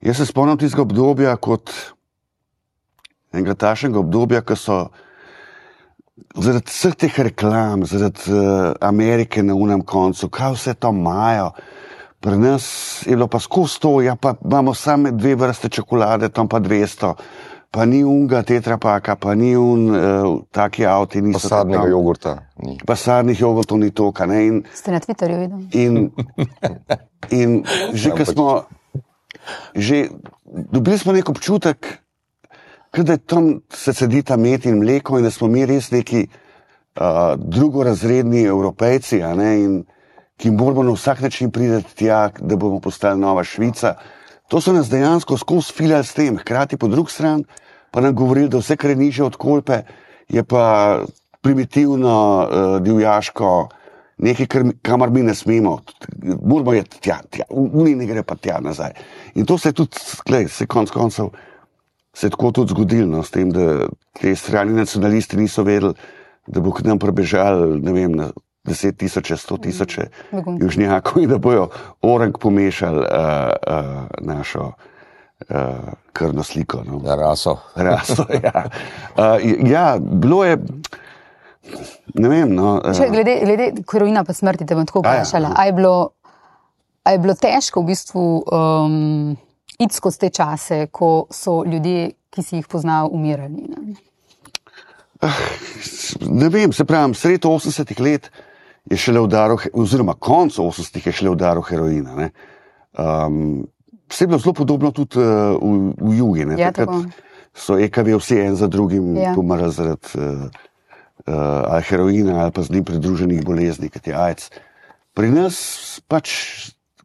Jaz se spomnim tistega obdobja kot enega tašnega obdobja, ko so zaradi vseh teh reklam, zaradi Amerike na unem koncu, kaj vse to imajo. Pri nas je bilo pa skozi to, pa imamo same 2 vrste čokolade, tam pa 200, pa ni unga tetrapaka, pa ni taki avti niso. Pa sadnega jogurta ni. Pa sadnih jogurtov ni toka. Ste na Twitterju videli? In že, ko smo dobili smo nek občutek, da tam se sedita med in mleko in da smo mi res neki drugorazredni Evropejci, in ki moramo na vsak način priti tja, da bomo postali nova Švica. To so nas dejansko skozi filali s tem, hkrati po drugi strani pa nam govorili, da vse, kar je nižje od Kolpe, je pa primitivno, divjaško, nekaj, kamar mi ne smemo, moramo je tja, uni ne gre pa tja nazaj. In to se je tudi, se konc koncev, se je tako tudi zgodilo, s tem, da te strani nacionalisti niso vedeli, da bo k nam prebežali, ne vem, na 10 tisoče, 100 tisoče južnjakov in da bojo orang pomešali našo krvno sliko. Raso, bilo je, ne vem, Glede heroina pa smrti, te bom tako vprašala. A je bilo težko v bistvu iti skozi te čase, ko so ljudje ki si jih poznal, umirali? Ne? Ne vem, se pravim, sred 80-ih let je šele udaril, oziroma konc 80-ih je šele udaril heroina. Ne. Vse je bilo zelo podobno tudi v jugi. Ne. Ja, Takrat so EKV vsi en za drugim pomrli zaradi ali heroina ali pa z njim pridruženih bolezni, kot je AIDS. Pri nas pač,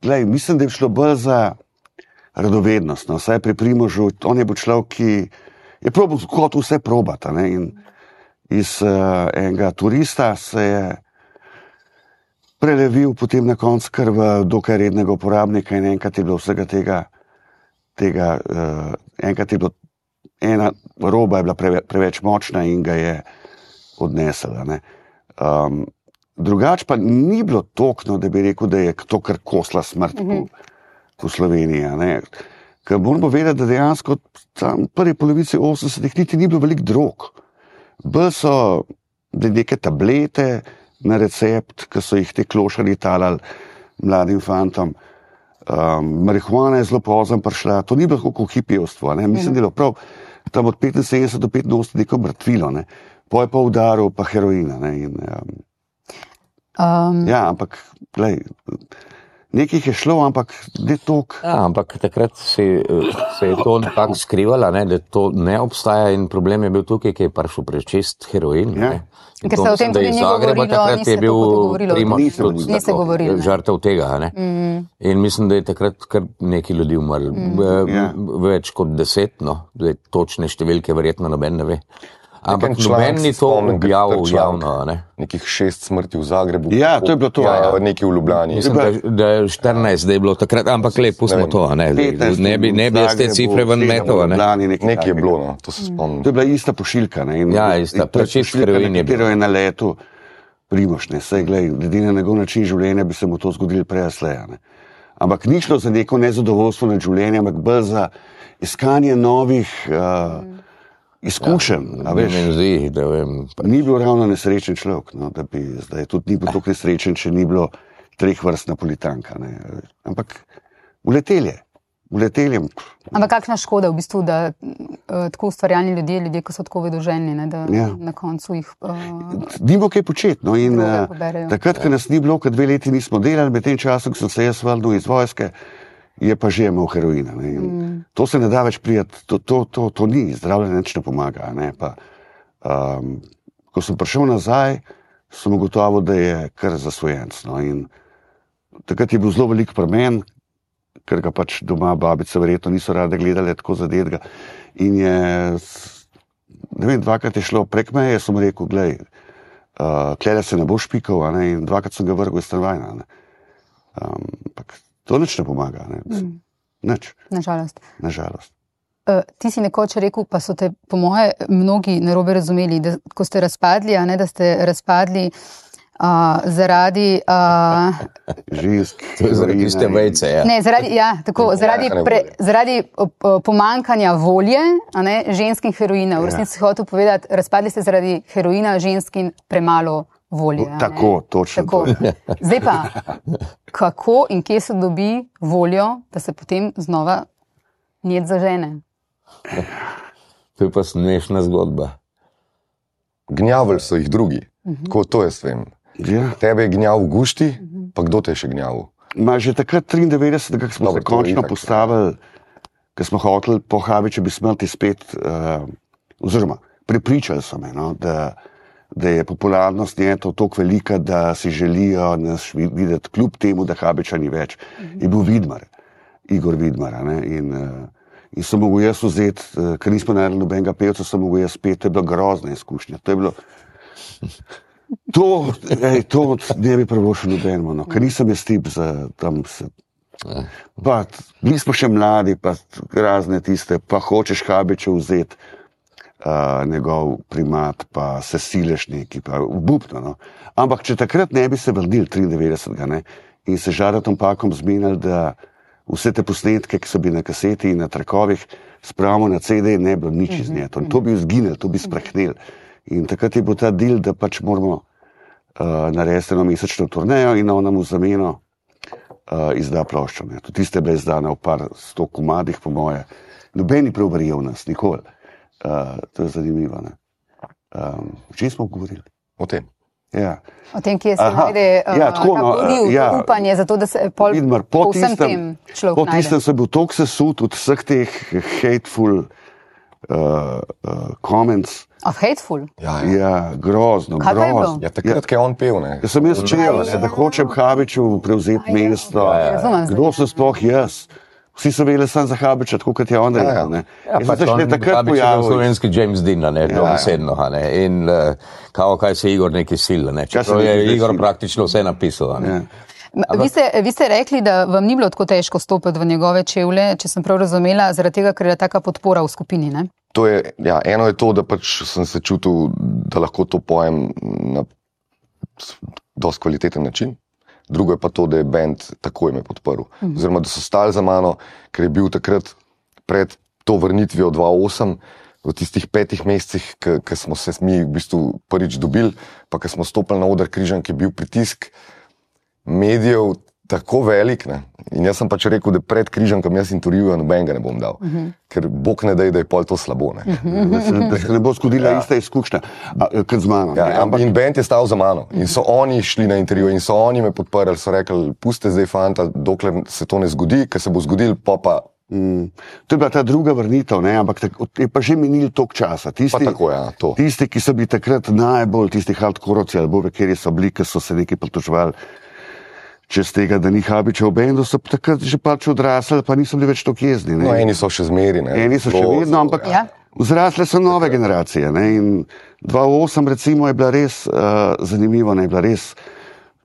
mislim, da je šlo bolj za radovednost. No. Vsaj pri Primožu, on je bil človek, ki je probal kot vse probati. Ne. In iz enega turista se je prelevil potem na koncu kar v dokaj rednega uporabnika in enkrat je bilo vsega tega enkrat je bilo ena roba je bila preveč močna in ga je odnesla. Ne. Drugače pa ni bilo tokno, da bi rekel, da je to kar kosla smrt v Sloveniji. Ne. Ker moramo vedeti, da dejansko tam v prvi polovici 80-ih niti ni bilo veliko drog. Bolj so neke tablete na recept, ki so jih te klošari talali mladim fantom. Marihuana je zelo pozno prišla, to ni bilo kot hipijevstvo. Mislim, da je bilo prav tam od 75 do 85 neko mrtvilo. Ne. Po je pa udaril pa heroina. Ne. In, ja, ampak nekih je šlo, ampak ne toliko. Ja, ampak takrat se je to nekako skrivalo, ne, da to ne obstaja in problem je bil tukaj, ki je prišel prečist heroin. Ja. Ker se o tem tudi ni govorilo, takrat je bil Primož niste govorili. Žrtev tega. Ne. In mislim, da je takrat kar neki ljudi umrli. Več kot 10, no. Točne številke verjetno noben ne ve. Ampak noben ni to objavil javno. Ne? Nekih 6 smrti v Zagrebu. Ja, to je bilo to. Ja, nekaj v Ljubljani. Mislim, da je 14, da je bilo takrat, ampak pustimo to. Ne bi jaz te cifre ven metal. Nekaj je bilo, no, to se spomnim. To je bila ista pošiljka. Ne? Ja, ista, prečist heroin je bilo. Je na letu Primož, ne, saj glej, glede na njegov način življenja bi se mu to zgodilo prej sleja. Ampak ni šlo za neko nezadovoljstvo nad življenjem, ampak bolj za iskanje novih izkušenj. Ja, ni bil ravno nesrečen človek, no, da bi zdaj tudi ni bil tako nesrečen, če ni bilo 3 vrst napolitanka. Ne. Ampak uletel je. Ampak kakšna škoda v bistvu, da tako ustvarjalni ljudje, ki so tako vedoželjni, da na koncu jih nimo kaj početi. No, in takrat, ko nas ni bilo, ko 2 leti nismo delali, med tem časom, ko sem se jaz vrnil iz vojske, je pa že imel heroina. To se ne da več prijeti, to ni, zdravljenje nič ne pomaga. Ne? Pa, ko sem prišel nazaj, sem ugotovil, da je kar zasvojenc. No? In takrat je bil zelo velik premen, ker ga pač doma babice verjetno niso rade gledali tako zadetega. In je, ne vem, 2krat je šlo prek meje, sem rekel, glej, klede se ne boš pikal, in 2krat sem ga vrgel iz stanovanja. Ampak to nič ne pomaga. Ne? Nič. Nažalost. Nažalost. Ti si nekoč rekel, pa so te po moje mnogi narobe razumeli, da ko ste razpadli, da ste razpadli zaradi žensk. Zaradi tiste vejce, ja. Ne, zaradi pomankanja volje, žensk in heroina. V resnici si hotel povedati, razpadli ste zaradi heroina, žensk in premalo volje. Tako, točno. Tako. Zdaj pa, kako in kje se dobi voljo, da se potem znova njet zažene? To je pa smešna zgodba. Gnjavili so jih drugi. Tako to jaz vem. Ja. Tebe je gnjav v gušti, pa kdo te je še gnjavil? Že takrat 93, ko smo se končno postavili, ko smo hoteli po Habiču bi smrti spet, oziroma pripričali so me, no, da je popularnost njeto toliko velika, da si želijo nas videti, kljub temu, da Habiča ni več. Je bil Vidmar, Igor Vidmar. In sem mogel jaz vzeti, ker nismo naredili nobenega pevca, sem mogel jaz peti, to je bila grozna izkušnja. To je bilo... To ne bi pravošel nobenemu, no, ker nisem jaz tip za tam se... Pa, bili smo še mladi, pa razne tiste, pa hočeš Habiča vzeti, njegov primat, pa se sileš neki, pa obupno. No. Ampak če takrat ne bi se vrnili 93. Ne, in se Žaratom Pakom zmenili, da vse te posnetke, ki so bili na kaseti in na trakovih, spravimo na CD, ne bilo nič iz nje. To bi izginili, to bi sprehnili. In takrat je bil ta del, da pač moramo narediti eno mesečno turnejo in on nam v zameno izda ploščo. Tudi tiste bile izdane v par 100 komadih, po moje. Nobeni prav verjel nas, nikoli. To je zanimivo. Če smo govorili? O tem. Ja. O tem, kje se najde upanje, zato da se po vsem tem človek najde. Po tistem sem bil toliko sesut od vseh teh hateful comments. Of hateful? Ja, grozno. Kaj pa je bilo? Ja, takrat, ko je on pel, ne. Ja, sem jaz čel, da hočem Habiču prevzeti mesto. Kdo sem sploh jaz? Vsi so vedeli sam za Habiča, tako kot je on rekel. Pač Habič je bil slovenski James Dean, dobesedno. In kaj se Igor neki sil, čeprav je Igor praktično vse napisal. Vi ste rekli, da vam ni bilo tako težko stopiti v njegove čevlje, če sem prav razumela, zaradi tega, ker je taka podpora v skupini, ne? To je, eno je to, da pač sem se čutil, da lahko to pojem na dosti kvaliteten način. Drugo je pa to, da je band takoj me podprl. Oziroma, da so stali za mano, ker je bil takrat pred to vrnitvijo 2008, v tistih 5 mesecih, ko smo se mi v bistvu prvič dobili, pa ko smo stopili na oder Križank, je bil pritisk medijev tako velik, ne? In jaz sem pač rekel, da pred Križankom jaz intervjuja nobenega ne bom dal, ker Bog ne daj, da je pol to slabo. Ne? Da se ne bo zgodila ista izkušnja kot z mano. In band je stal za mano in so oni šli na intervju in so oni me podprli, so rekli, puste zdaj fanta, dokler se to ne zgodi, ker se bo zgodil, pa To je bila ta druga vrnitev, ampak je pa že minil toliko časa. Tisti, ki so bili takrat najbolj, tisti hardkorovci ali bove, kjer so bili, ki so se nekaj pritoževali čez tega, da ni Habiča v bendu, so takrat že pač odrasli, pa niso bili več toliko jezni. No, eni so še zmeri. Eni so še vedno, ampak vzrasle so nove generacije. In 2008 recimo je bila res zanimivo, je bila res,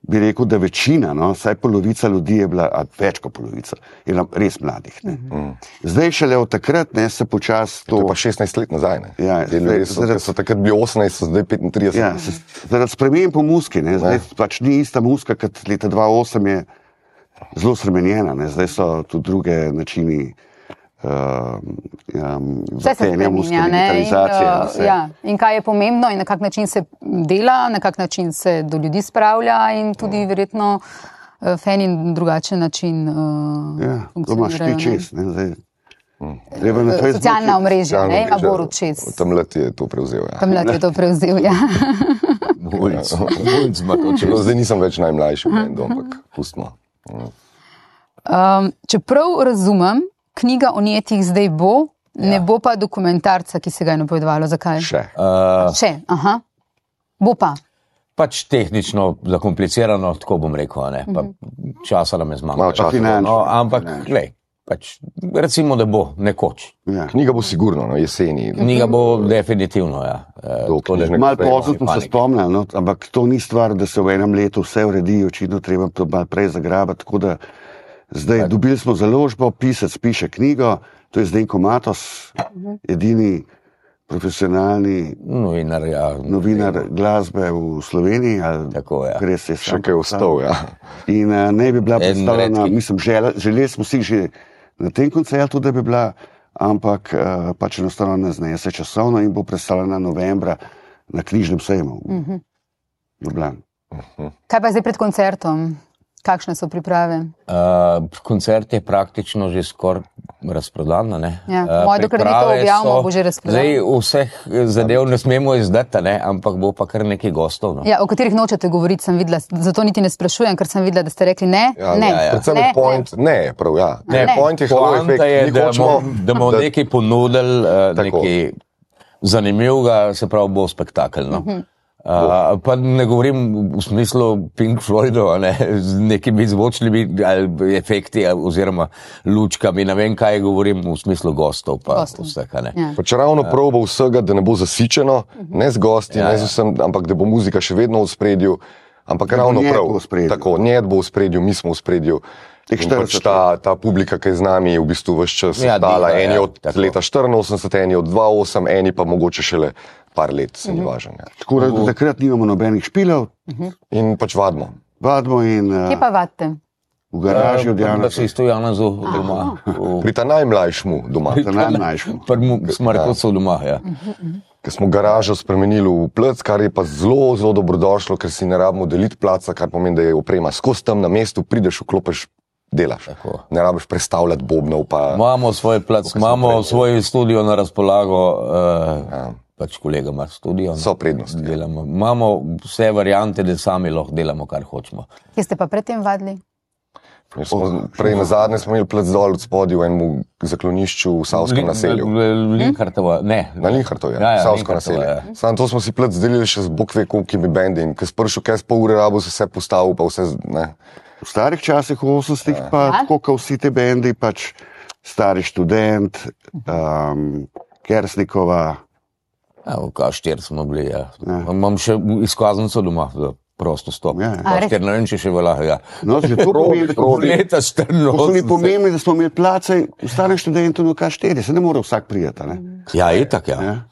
bi rekel, da večina, vsaj polovica ljudi je bila, več kot polovica, je bila res mladih. Zdaj šele od takrat se počasi to... To je pa 16 let nazaj. So takrat bili 18, so zdaj 35. Ja, zaradi sprememb po muski. Zdaj pač ni ista muska, kot leta 2008 je zelo spremenjena. Zdaj so tudi druge načini vse se spreminja, in kaj je pomembno in na kak način se dela, na kak način se do ljudi spravlja in tudi verjetno fen in drugačen način funkcionirajo. Socialna omrežja, ima Borut čez. Tamlet je to prevzel, Tamlet je to prevzel, Zdaj nisem več najmlajši, ampak pustimo. Čeprav razumem, knjiga o Njetih zdaj bo, ne bo pa dokumentarca, ki se ga je napovedovalo. Zakaj? Še, Bo pa. Pač tehnično zakomplicirano, tako bom rekel, pa časa nam je zmanjkalo. Ampak, glej, pač recimo, da bo nekoč. Knjiga bo sigurno, jeseni. Knjiga bo definitivno, Malo pozno smo se spomnili, ampak to ni stvar, da se v enem letu vse uredi, očitno treba to malo prej zagrabati, tako da zdaj dobili smo založbo, pisec piše knjigo, to je Zdenko Matos, edini profesionalni novinar glasbe v Sloveniji. Še kaj ostal, In ne bi bila predstavljena, mislim, želeli smo si že na tem koncertu, da bi bila, ampak pač enostavno ne znese časovno in bo predstavljena novembra na Knjižnem sejmu v Ljubljani. Kaj pa zdaj pred koncertom? Kakšne so priprave? Koncert je praktično že skoraj razprodan. Dokler ni to objavimo, bo že razprodan. Zdaj vseh zadev ne smemo izdati, ampak bo pa kar nekaj gostov. O katerih nočete govoriti, sem videla, zato niti ne sprašujem, ker sem videla, da ste rekli ne. Predvsem point, point je halo efekt. Da bomo nekaj ponudili, nekaj zanimivega, se pravi bo spektakel. Pa ne govorim v smislu Pink Floydov, z nekimi zvočnimi efekti oziroma lučkami, ne vem kaj govorim v smislu gostov pa vseh. Pač ravno probo vsega, da ne bo zasičeno, ne z gosti, ne z vsem, ampak da bo muzika še vedno v spredju, ampak ravno prav, tako, njed bo v spredju, mi smo v spredju. In pač ta publika, ki je z nami, je v bistvu vse čas dala, eni od leta 84, eni od 2008, eni pa mogoče šele par let, se ni važen. Tako da takrat nimamo nobenih špilov. In pač vadimo. Kje pa vadite? V garaži od Jana. Da se isto Janazu doma. Pri ta najmlajšmu doma. Pri Smrkovcu doma, Ker smo garažo spremenili v plac, kar je pa zelo, zelo dobrodošlo, ker si ne rabimo deliti placa, kar pomeni, da je oprema skozi tam na mestu, prideš, vklopeš delaš. Tako. Ne rabiš predstavljati bobnov. Imamo svoj plac, imamo svoj studio na razpolago, pač kolega ima studio. So prednosti. Imamo vse variante, da sami lahko delamo, kar hočemo. Kje ste pa predtem vadili? Prej na zadnje smo imeli plac dol od spodaj v enem zaklonišču v Savskem naselju. Linhartova, ne. Na Linhartov, Savsko naselje. Samo to smo si plac delili še z bokve kolikimi bendi in ko si prišel, kaj z pol ure rabo, se vse postavil, pa vse, ne. V starih časih, v 80-ih, pa tako, kot vsi te bendi, pač Stari študent, Kersnikova. V K4 smo bili, ja. Imam še izkaznico doma, prosto stop. K4, ne vem, če še velja. No, že to pomeni, leta 14. pomembno, da smo imeli place v Starem študentu na K4, se ne more vsak prijeti, ne? Ja, itak, ja.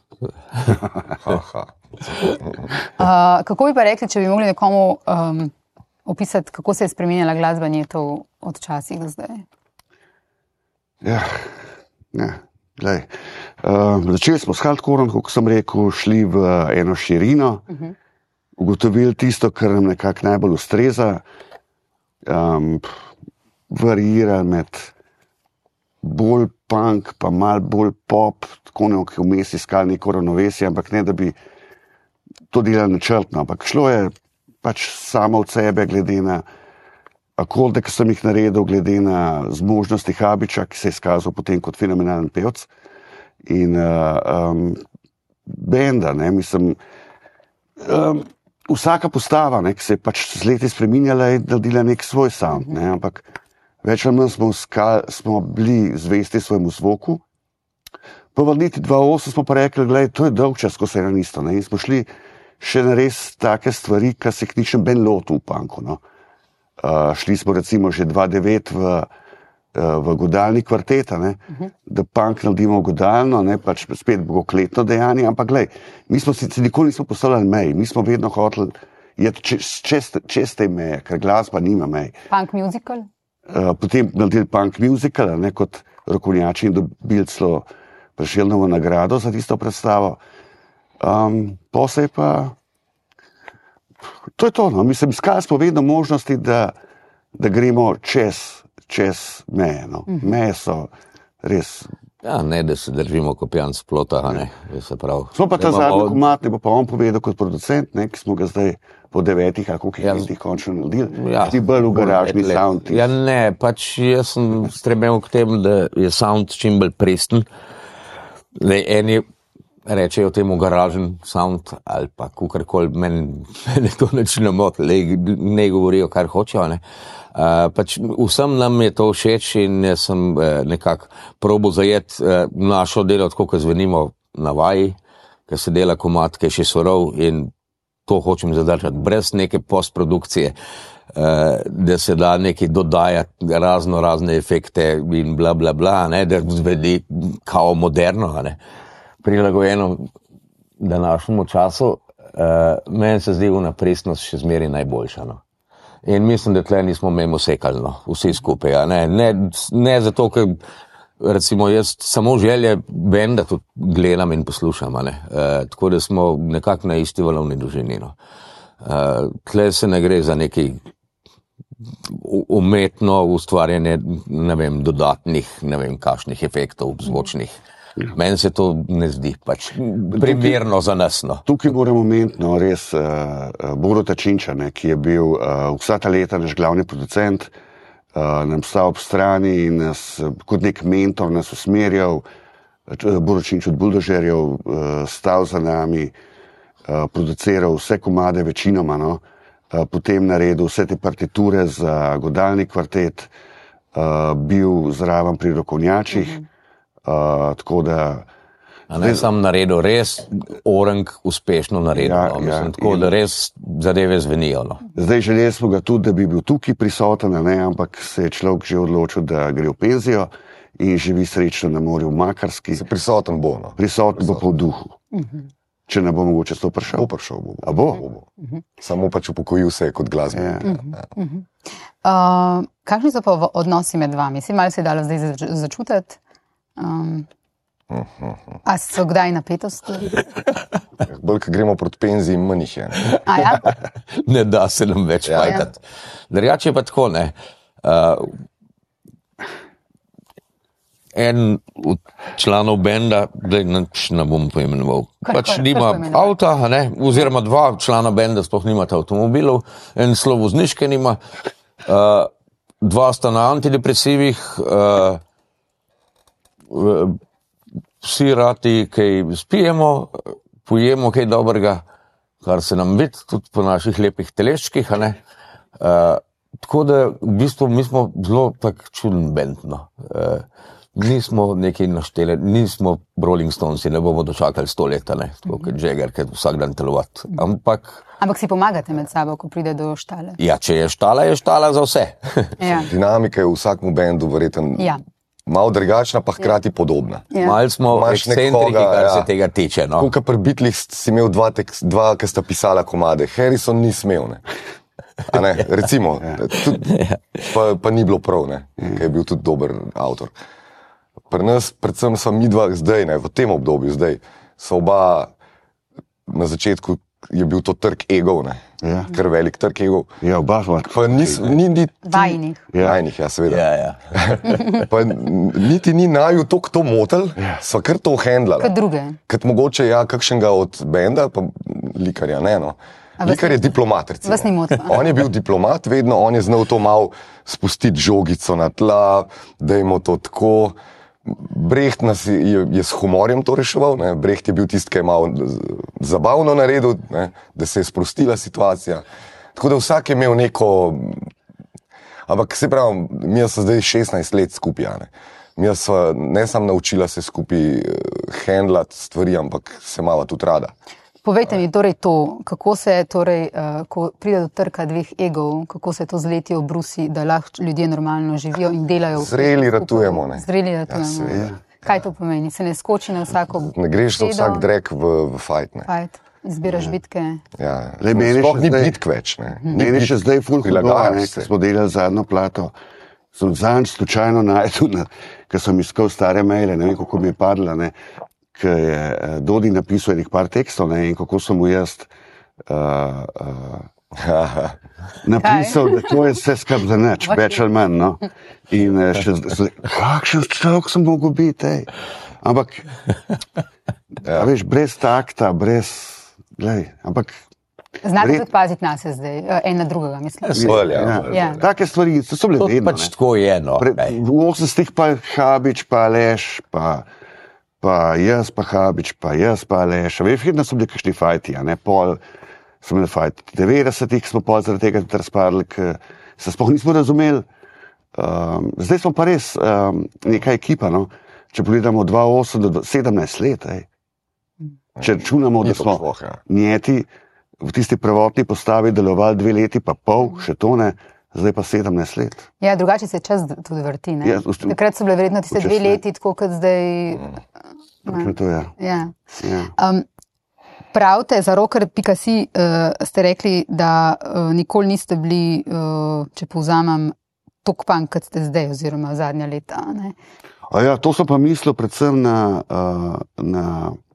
Kako bi pa rekli, če bi mogli nekomu opisati, kako se je spremenjala glasba Njetov od časih do zdaj? Glej. Začeli smo s hardcoreom, kot sem rekel, šli v eno širino, ugotovili tisto, kar nam nekako najbolj ustreza, varirali med bolj punk, pa malo bolj pop, tako nekaj vmes iskali neko ravnovesje, ampak ne, da bi to delali načrtno, ampak šlo je pač samo od sebe, glede na akorde, ki sem jih naredil, glede na zmožnosti Habiča, ki se je izkazal potem kot fenomenalen pevc. In benda, ne, mislim, vsaka postava, ne, ki se je pač z leti spreminjala, je naredila nek svoj sound, ne, ampak več ali manj smo bili zvesti svojemu zvoku. Po vrniti 2008 smo pa rekli, gledaj, to je dolg čas, ko se je eno isto, ne, in smo šli še na res take stvari, ki se k ničem ben lotu v punku, no. Šli smo recimo že 2009 v godalni kvarteta, ne, da punk naredimo godalno, ne, pač spet bogokletno dejanje, ampak glej, mi smo se nikoli nismo postavljali mej, mi smo vedno hoteli čez te meje, ker glasba nima mej. Punk musical? Potem naredili punk musical, ne, kot rokovnjači in dobili celo Prešernovo nagrado za tisto predstavo. Posej pa to je to, no. Mislim, iskali smo vedno možnosti, da gremo čez meje, no. Meje so res... Ja, ne, da se držimo kopjan s plota, ne, se pravi. Smo pa ta zadnji komat, ne bo pa on povedal kot producent, ne, ki smo ga zdaj po 9 ali koliko letih končno naredili, ti bolj v garažni sound. Ja, ne, pač jaz sem stremel k temu, da je sound čim bolj presten. Eni rečejo temu garažen sound ali pa kukarkoli, meni to nič ne moti, ne govorijo, kar hočejo, ne. Pač vsem nam je to všeč in jaz sem nekako probal zajeti našo delo, tako kot zvenimo na vaji, ker se dela komad, ki je še surov in to hočem zadržati, brez neke postprodukcije, da se da nekaj dodajati, razne efekte in bla bla bla, ne, da zvedi kao moderno, ne. Prilagojeno današnjemu času, meni se zdi ona pristnost še zmeraj najboljša, no. In mislim, da tle nismo mimo sekali, no, vsi skupaj, ja, ne zato, ker recimo jaz samo želje benda tudi gledam in poslušam, ne, tako da smo nekako na isti valovni dolžini, no. Tle se ne gre za nekaj umetno ustvarjanje, ne vem, dodatnih, ne vem, kakšnih efektov zvočnih. Meni se to ne zdi pač primerno za nas, no. Tukaj moramo omeniti, no, res Borota Činča, ne, ki je bil vsa ta leta naš glavni producent, nam stal ob strani in nas kot nek mentor nas usmerjal, Borut Činč od Buldožerjev stal za nami, produciral vse komade večinoma, no, potem naredil vse te partiture za godalni kvartet, bil zraven pri rokovnjačih, tako da... A ne sam naredil, res orang uspešno naredil, no, mislim, tako da res zadeve zvenijo, no. Zdaj želeli smo ga tudi, da bi bil tukaj prisoten, ne, ampak se je človek že odločil, da gre v penzijo in živi srečno na morju v Makarski. Prisoten bo, no. Prisoten bo pa v duhu. Če ne bo mogoče to prišel. Prišel bo. A bo? Samo pač upokojil se kot glasbenik. Kakšni so pa odnosi med vami? Si malo se je dalo zdaj začutiti? A so kdaj napetosti? Bolj, ko gremo proti penziji, manj jih je. Ne da se nam več fajtati. Drugače je pa tako, ne. en od članov benda, da ne bom poimenoval, pač nima avta, ne? Oziroma dva člana benda sploh nimata avtomobilov, en celo vozniške nima, dva sta na antidepresivih, vsi rati kaj spijemo, pojemo kaj dobrega, kar se nam vidi tudi po naših lepih teleščkih, a ne? Tako da v bistvu mi smo zelo tak čuden bend, no. Nismo nekaj našteli, nismo Rolling Stonesi, ne bomo dočakali 100 let, ne, tako kot Jagger, ker vsak dan telovati. Ampak si pomagate med sabo, ko pride do štale? Ja, če je štala za vse. Ja. Dinamika je v vsakmu bendu verjetno malo drugačna, pa hkrati podobna. Malo smo ekscentriki, kar se tega tiče. No. Tukaj pri Beatlih si imel dva, ki sta pisala komade. Harrison ni smel, ne. A ne, recimo, pa ni bilo prav, ne, ker je bil tudi dober avtor. Pri nas, predvsem sva midva zdaj, ne, v tem obdobju zdaj, so oba, na začetku je bil to trg egov, ne, kar velik trg egov. Ja, oba smo. Pa Vajnih. Vajnih, ja, seveda. Ja. Pa niti ni naju to motel, sva kar to handlala. Kot druge. Kot mogoče, kakšnega od benda, pa likarja, ne, no. Likar je diplomat, recimo. Vas ni motil. On je bil diplomat, vedno, on je znal to malo spustiti žogico na tla, dajmo to tako. Brecht nas je s humorjem to reševal, ne? Brecht je bil tisti, ki je malo zabavno naredil, ne? Da se je sprostila situacija. Tako da vsak je imel neko, ampak se pravi, mi smo zdaj 16 let skupaj, ne? Mi smo ne samo naučila se skupaj handlati stvari, ampak se malo tudi rada. Povejte mi torej to, kako se torej, ko pride do trka dveh egov, kako se to z leti obrusi, da lahko ljudje normalno živijo in delajo. Zreli ratujemo, ne. Zreli ratujemo. Ja, kaj to pomeni? Se ne skoči na vsako besedo? Ne greš za vsak drek v fight, ne. Fight. Izbiraš bitke. Ja, sploh ni bitk več, ne. Meni še zdaj ful hudo, ko smo delali zadnjo plato. Sem zanj slučajno najdel, ker sem iskal stare maile, ne vem, kako mi je padla, ne. Ker je Dodi napisal enih par tekstov, ne, in kako sem mu jaz napisal, da to je vse skrb za nič, več ali manj, no. In kakšen človek sem mogel biti, Ampak, veš, brez takta, ampak... Znate tudi paziti na se zdaj, en na drugega, mislim. Take stvari so bile vedno, pač tako je, no. V 80-ih pa Habič, pa Aleš, pa jaz, pa Habič, pa jaz, pa Aleš. Veš, vedno so bili kakšni fajti, a ne, pol so bili fajti. V 90-ih smo pol zaradi tega tudi razpadli, ker se sploh nismo razumeli. Zdaj smo pa res neka ekipa, no. Če pogledamo 2008 do 17 let, Če računamo, da smo njeti v tisti prvotni postavi delovali 2 leti, pa pol, še to ne, zdaj pa 17 let. Ja, drugače se čas tudi vrti, ne? Takrat so bile verjetno tiste 2 leti, tako kot zdaj... To je. Ja. Pravite, za rocker.si ste rekli, da nikoli niste bili, če povzamem, tok punk, kot ste zdaj, oziroma zadnja leta, ne? Ja, to so pa mislil predvsem na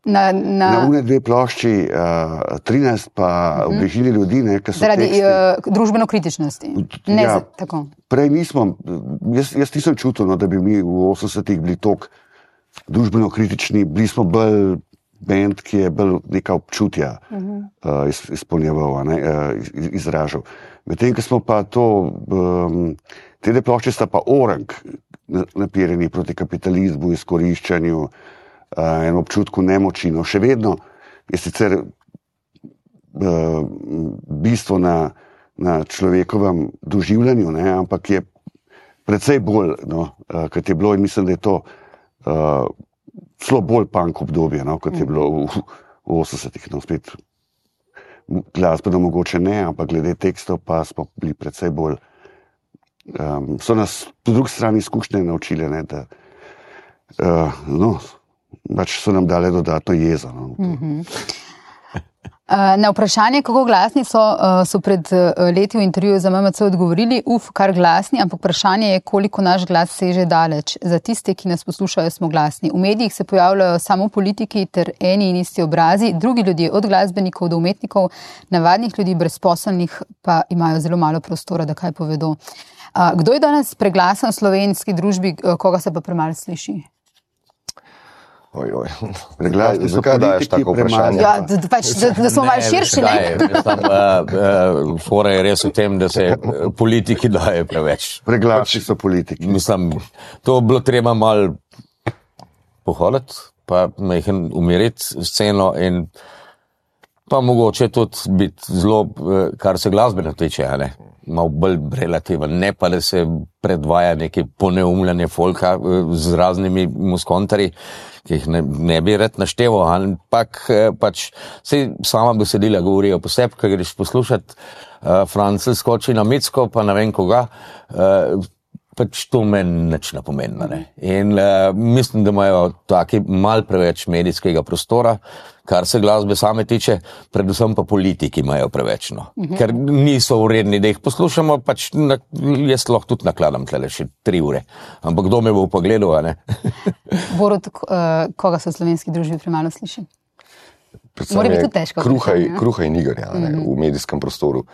une 2 plošči, 13 pa obležili ljudi, ne, ki so zaradi družbeno kritičnosti. Ne tako. Prej nismo, jaz nisem čutil, no, da bi mi v 80-ih bili toliko družbeno kritični, bili smo bolj band, ki je bolj neka občutja izpolnjeval, izražal. Medtem, ko smo pa to, te 2 plošče sta pa orang napirjeni proti kapitalizmu, izkoriščanju, en občutku nemoči. No, še vedno je sicer bistvo na človekovem doživljanju, ne, ampak je precej bolj, no, kot je bilo, in mislim, da je to celo bolj punk obdobje, no, kot je bilo v 80-ih. No, spet glasbeno mogoče ne, ampak glede tekstov pa smo bili precej bolj. So nas po drugi strani izkušnje naučile, ne, da pač so nam dale dodatno jezo. No. Na vprašanje, kako glasni so pred leti v intervjuju za MMC odgovorili, kar glasni, ampak vprašanje je, koliko naš glas seže daleč. Za tiste, ki nas poslušajo, smo glasni. V medijih se pojavljajo samo politiki ter eni in isti obrazi, drugi ljudje, od glasbenikov do umetnikov, navadnih ljudi, brezposelnih, pa imajo zelo malo prostora, da kaj povedo. Kdo je danes preglasen v slovenski družbi, koga se pa premalo sliši? Zakaj daješ tako vprašanje? Ja, da smo malo širši, ne? Fora je res v tem, da se politiki daje preveč. Preglasni so politiki. Mislim, to bilo treba malo pohoditi, pa majhen umiriti sceno in pa mogoče tudi biti zelo, kar se glasbeno tiče, ne? Malo bolj relativen, ne pa da se predvaja neke poneumljanje folka z raznimi muskontarji, ki jih ne bi rad našteval, ampak pač sej sama besedila govorijo po sebi, ko greš poslušati Francel skoči na Micko, pa ne vem koga, pač to meni nič ne pomeni. Ne? In mislim, da imajo taki mal preveč medijskega prostora, kar se glasbe same tiče, predvsem pa politiki imajo preveč, no. Ker niso vredni, da jih poslušamo, pač jaz lahko tudi nakladam tlele še 3 ure. Ampak kdo me bo pogledal, a ne? Borut, koga se v slovenski družbi premalo sliši? Mora biti tudi težko. Kruha in iger, v medijskem prostoru.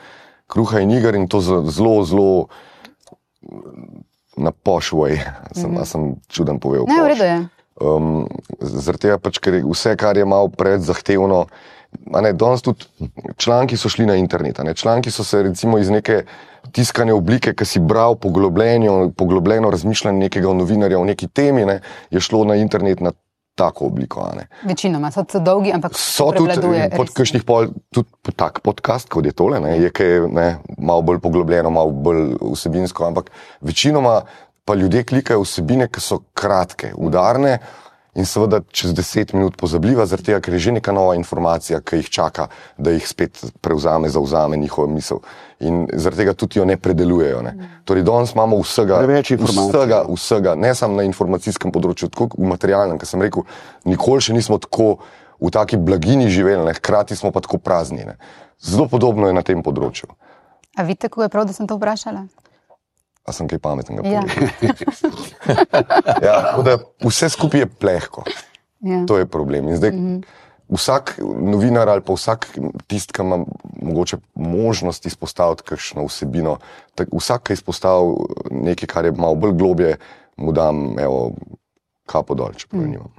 Kruha in iger in to zelo na poš voj. Sem čuden povedal. Ne, v redu je. Zaradi tega pač, ker vse, kar je malo predzahtevno, danes tudi članki so šli na internet, članki so se recimo iz neke tiskane oblike, ki si bral poglobljeno razmišljanje nekega novinarja o neki temi, je šlo na internet na tako obliko. Večinoma so dolgi, ampak prevladuje. So tudi kakšnih tudi tak podcast, kot je tole, je kaj malo bolj poglobljeno, malo bolj vsebinsko, ampak večinoma pa ljudje klikajo vsebine, ki so kratke, udarne in seveda čez 10 minut pozabljiva, zaradi tega, ker je že neka nova informacija, ki jih čaka, da jih spet zavzame njihova misel. In zaradi tega tudi jo ne predelujejo. Torej, danes imamo vsega, ne samo na informacijskem področju, tako v materialnem, ker sem rekel, nikoli še nismo tako v taki blagini živeli, hkrati smo pa tako prazni. Zelo podobno je na tem področju. A vidite, kako je prav, da sem to vprašala? A sem kaj pametnega povedal? Ja, vse skupaj je plehko. Ja. To je problem. In zdaj vsak novinar ali pa vsak tist, ki ima mogoče možnost izpostaviti kakšno vsebino, vsak, ki je izpostavil nekaj, kar je malo bolj globje, mu dam kapo dol, čeprav nimam.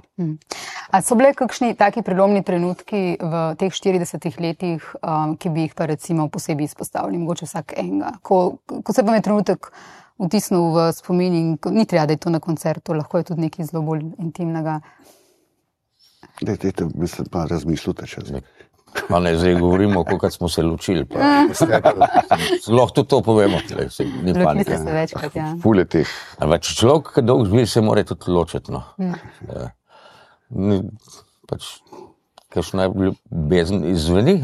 A so bile kakšni taki prelomni trenutki v teh 40 letih, ki bi jih pa recimo posebej izpostavili, mogoče vsak enega? Ko se pa me trenutek vtisnil v spomin in ni treba, da je to na koncertu, lahko je tudi nekaj zelo bolj intimnega. Dajte, mislim, pa razmislite še zdaj. Pa ne, zdaj govorimo, kako smo se ločili. Lahko tudi to povemo. Ni panike. Ločite se večkrat, ja. Fule teh. Če človek, ki dolgo živi, se mora tudi ločiti, no. Pač, kakšna ljubezen izveni,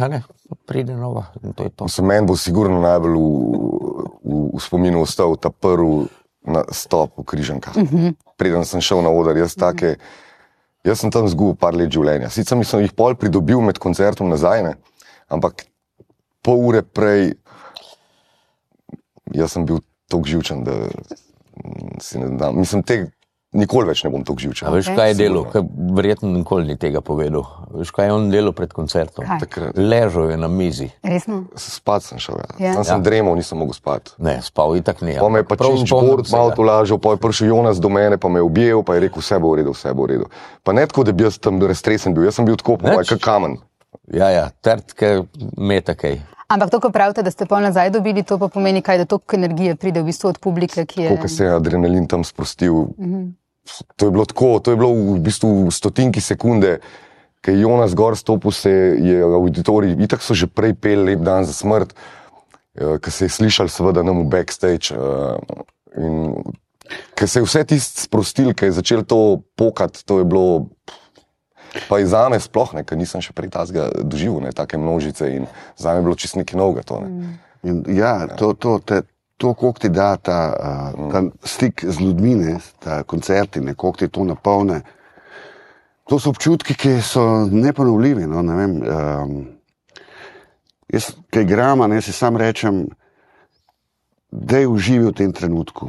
pride nova in to je to. Meni bo sigurno najbolj v spominu ostal ta prvi nastop v Križankah. Preden sem šel na oder, jaz sem tam zgubil par let življenja. Sicer sem jih pol pridobil med koncertom nazaj, ampak pol ure prej jaz sem bil toliko živčen, da si ne dam. Mislim, nikoli več ne bom toliko živčen. A veš, kaj je delo? Verjetno nikoli ni tega povedal. Veš, kaj je on delo pred koncertom? Ležal je na mizi. Resno? Spat sem šel, Tam sem dremal, nisem mogel spati. Ne, spal itak ni. Pa me je pa Činč Bord malo tolažil, pa je prišel Jonas do mene, pa me je objel, pa je rekel, vse bo v redu. Pa ne tako, da bi jaz tam raztresen bil, jaz sem bil tako, kak kamen. Ja, trtke, metakej. Ampak to, ko pravite, da ste pol nazaj dobili, to pa pomeni kaj, da toliko energije pride v bistvu od publike, ki je... Koliko se je adrenalin tam sprostil. To je bilo tako, to je bilo v bistvu stotinki sekunde, ko je Jonas gor stopil, je auditorij, itak so že prej peli Lep dan za smrt, ko se je slišal seveda nam v backstage in ko se je vse tist sprostil, ko je začel to pokati, to je bilo... Pa i zame sploh, ker nisem še prej tazga doživel, take množice in zame je bilo čist nekaj novega to. Ja, to, koliko ti da ta stik z ljudmi, ta koncerti, koliko ti to napolne, to so občutki, ki so neponovljivi, no, ne vem. Jaz, kaj igram, si sam rečem, da je uživi v tem trenutku,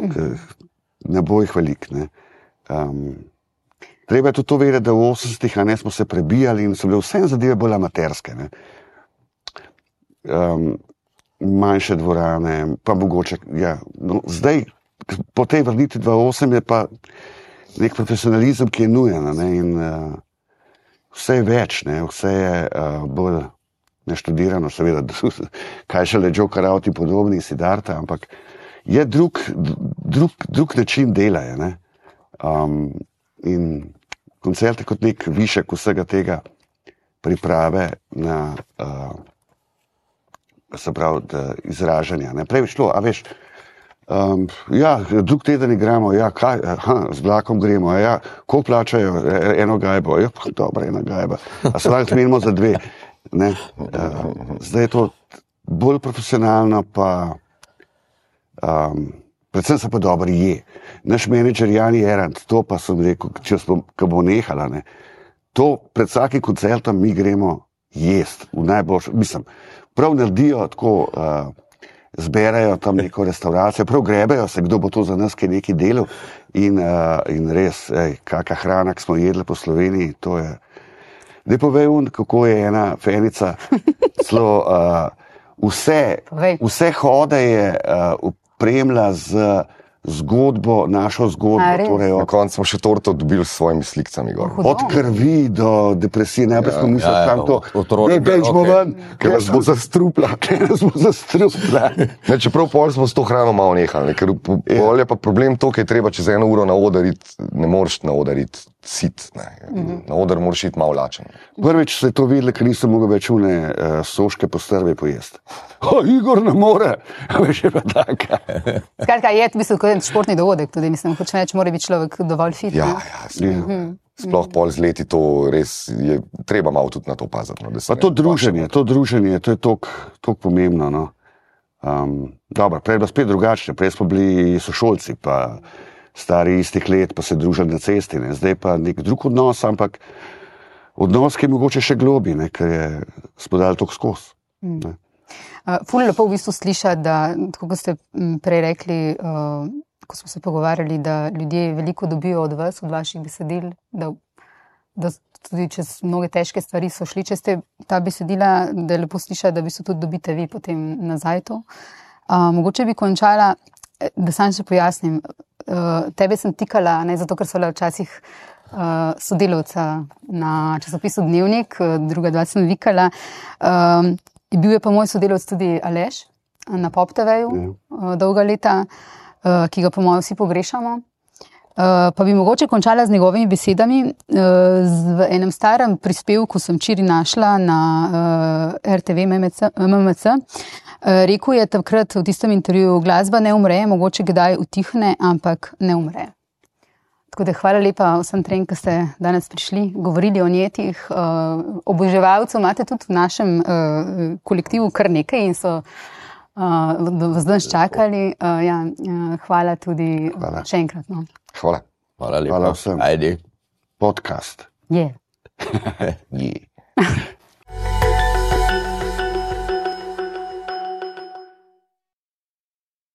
ne bo jih velik. Treba je tudi to vedeti, da v 80-ih smo se prebijali in so bile vse zadeve bolj amaterske. Manjše dvorane, pa mogoče, zdaj, po tej vrnitvi 2008 je pa nek profesionalizem, ki je nujen, in vse je več, vse je bolj neštudirano, seveda, kaj šele Joe Carauti in podobni Siddharta, ampak je drug način dela. In koncert je kot nek višek vsega tega priprave na se pravi, izražanja. Prej bi šlo, a veš, drug teden igramo, z vlakom gremo, ko plačajo eno gajbo, dobro, ena gajba, a se lahko zmenimo za 2. Zdaj je to bolj profesionalno, pa predvsem se pa dobro je. Naš menedžer Jani Erant, to pa sem rekel, ko bo nehala, to pred vsakim koncertom mi gremo jest, v najboljšem, mislim, prav naredijo tako, zberajo tam neko restauracijo, prav grebejo se, kdo bo to za nas kaj neki delal in res, kakšna hrana, ki smo jedli po Sloveniji, to je. Zdaj povej, kako je ena fenica celo vse hode je opremila z zgodbo, našo zgodbo. Torej na koncu smo še torto dobili s svojimi slikicami. Od krvi do depresije. Najprej smo mislili, kam to dejmo ven, ker nas bo zastrupla. Čeprav pol smo s to hrano malo nehali, ker pol je pa problem to, ker je treba čez 1 uro na oder iti, ne moreš na oder iti sit. Na oder moraš iti malo lačen. Prvič se je to videli, ker nisem mogel več soške postrve pojesti. Igor ne more, veš, je pa taka. Skratka, je v bistvu športni dogodek, tudi mislim, hoče reči, mora biti človek dovolj fit. Sploh pol z leti to res je, treba malo tudi na to paziti. Pa to druženje, to je toliko pomembno. Dobro, prej je bilo spet drugačne, prej smo bili sošolci, pa stari istih let, pa se družili na cesti, zdaj pa nek drug odnos, ampak odnos, ki je mogoče še globi, ker je spodal toliko skozi. Ful lepo v bistvu slišati, da, tako kot ste prej rekli, ko smo se pogovarjali, da ljudje veliko dobijo od vas, od vaših besedil, da tudi čez mnoge težke stvari so šli čez ta besedila, da je lepo slišati, da v bistvu tudi dobite vi potem nazaj to. Mogoče bi končala, da sam še pojasnim, tebe sem tikala, zato ker so le včasih sodelavca na časopisu Dnevnik, druga 2 sem vikala. Bil je pa moj sodelavec tudi Aleš na Pop TV-ju dolga leta, ki ga po mojem vsi pogrešamo. Pa bi mogoče končala z njegovimi besedami. V enem starem prispevku sem včeraj našla na RTV MMC. Rekel je takrat v tistem intervjuju, glasba ne umre, mogoče kdaj utihne, ampak ne umre. Tako da hvala lepa vsem trem, ki ste danes prišli, govorili o njetih. Oboževalcev imate tudi v našem kolektivu kar nekaj in so vas danes čakali. Hvala tudi še enkrat. Hvala. Hvala lepa. Hvala vsem. Ajde. Podcast. Je. Je.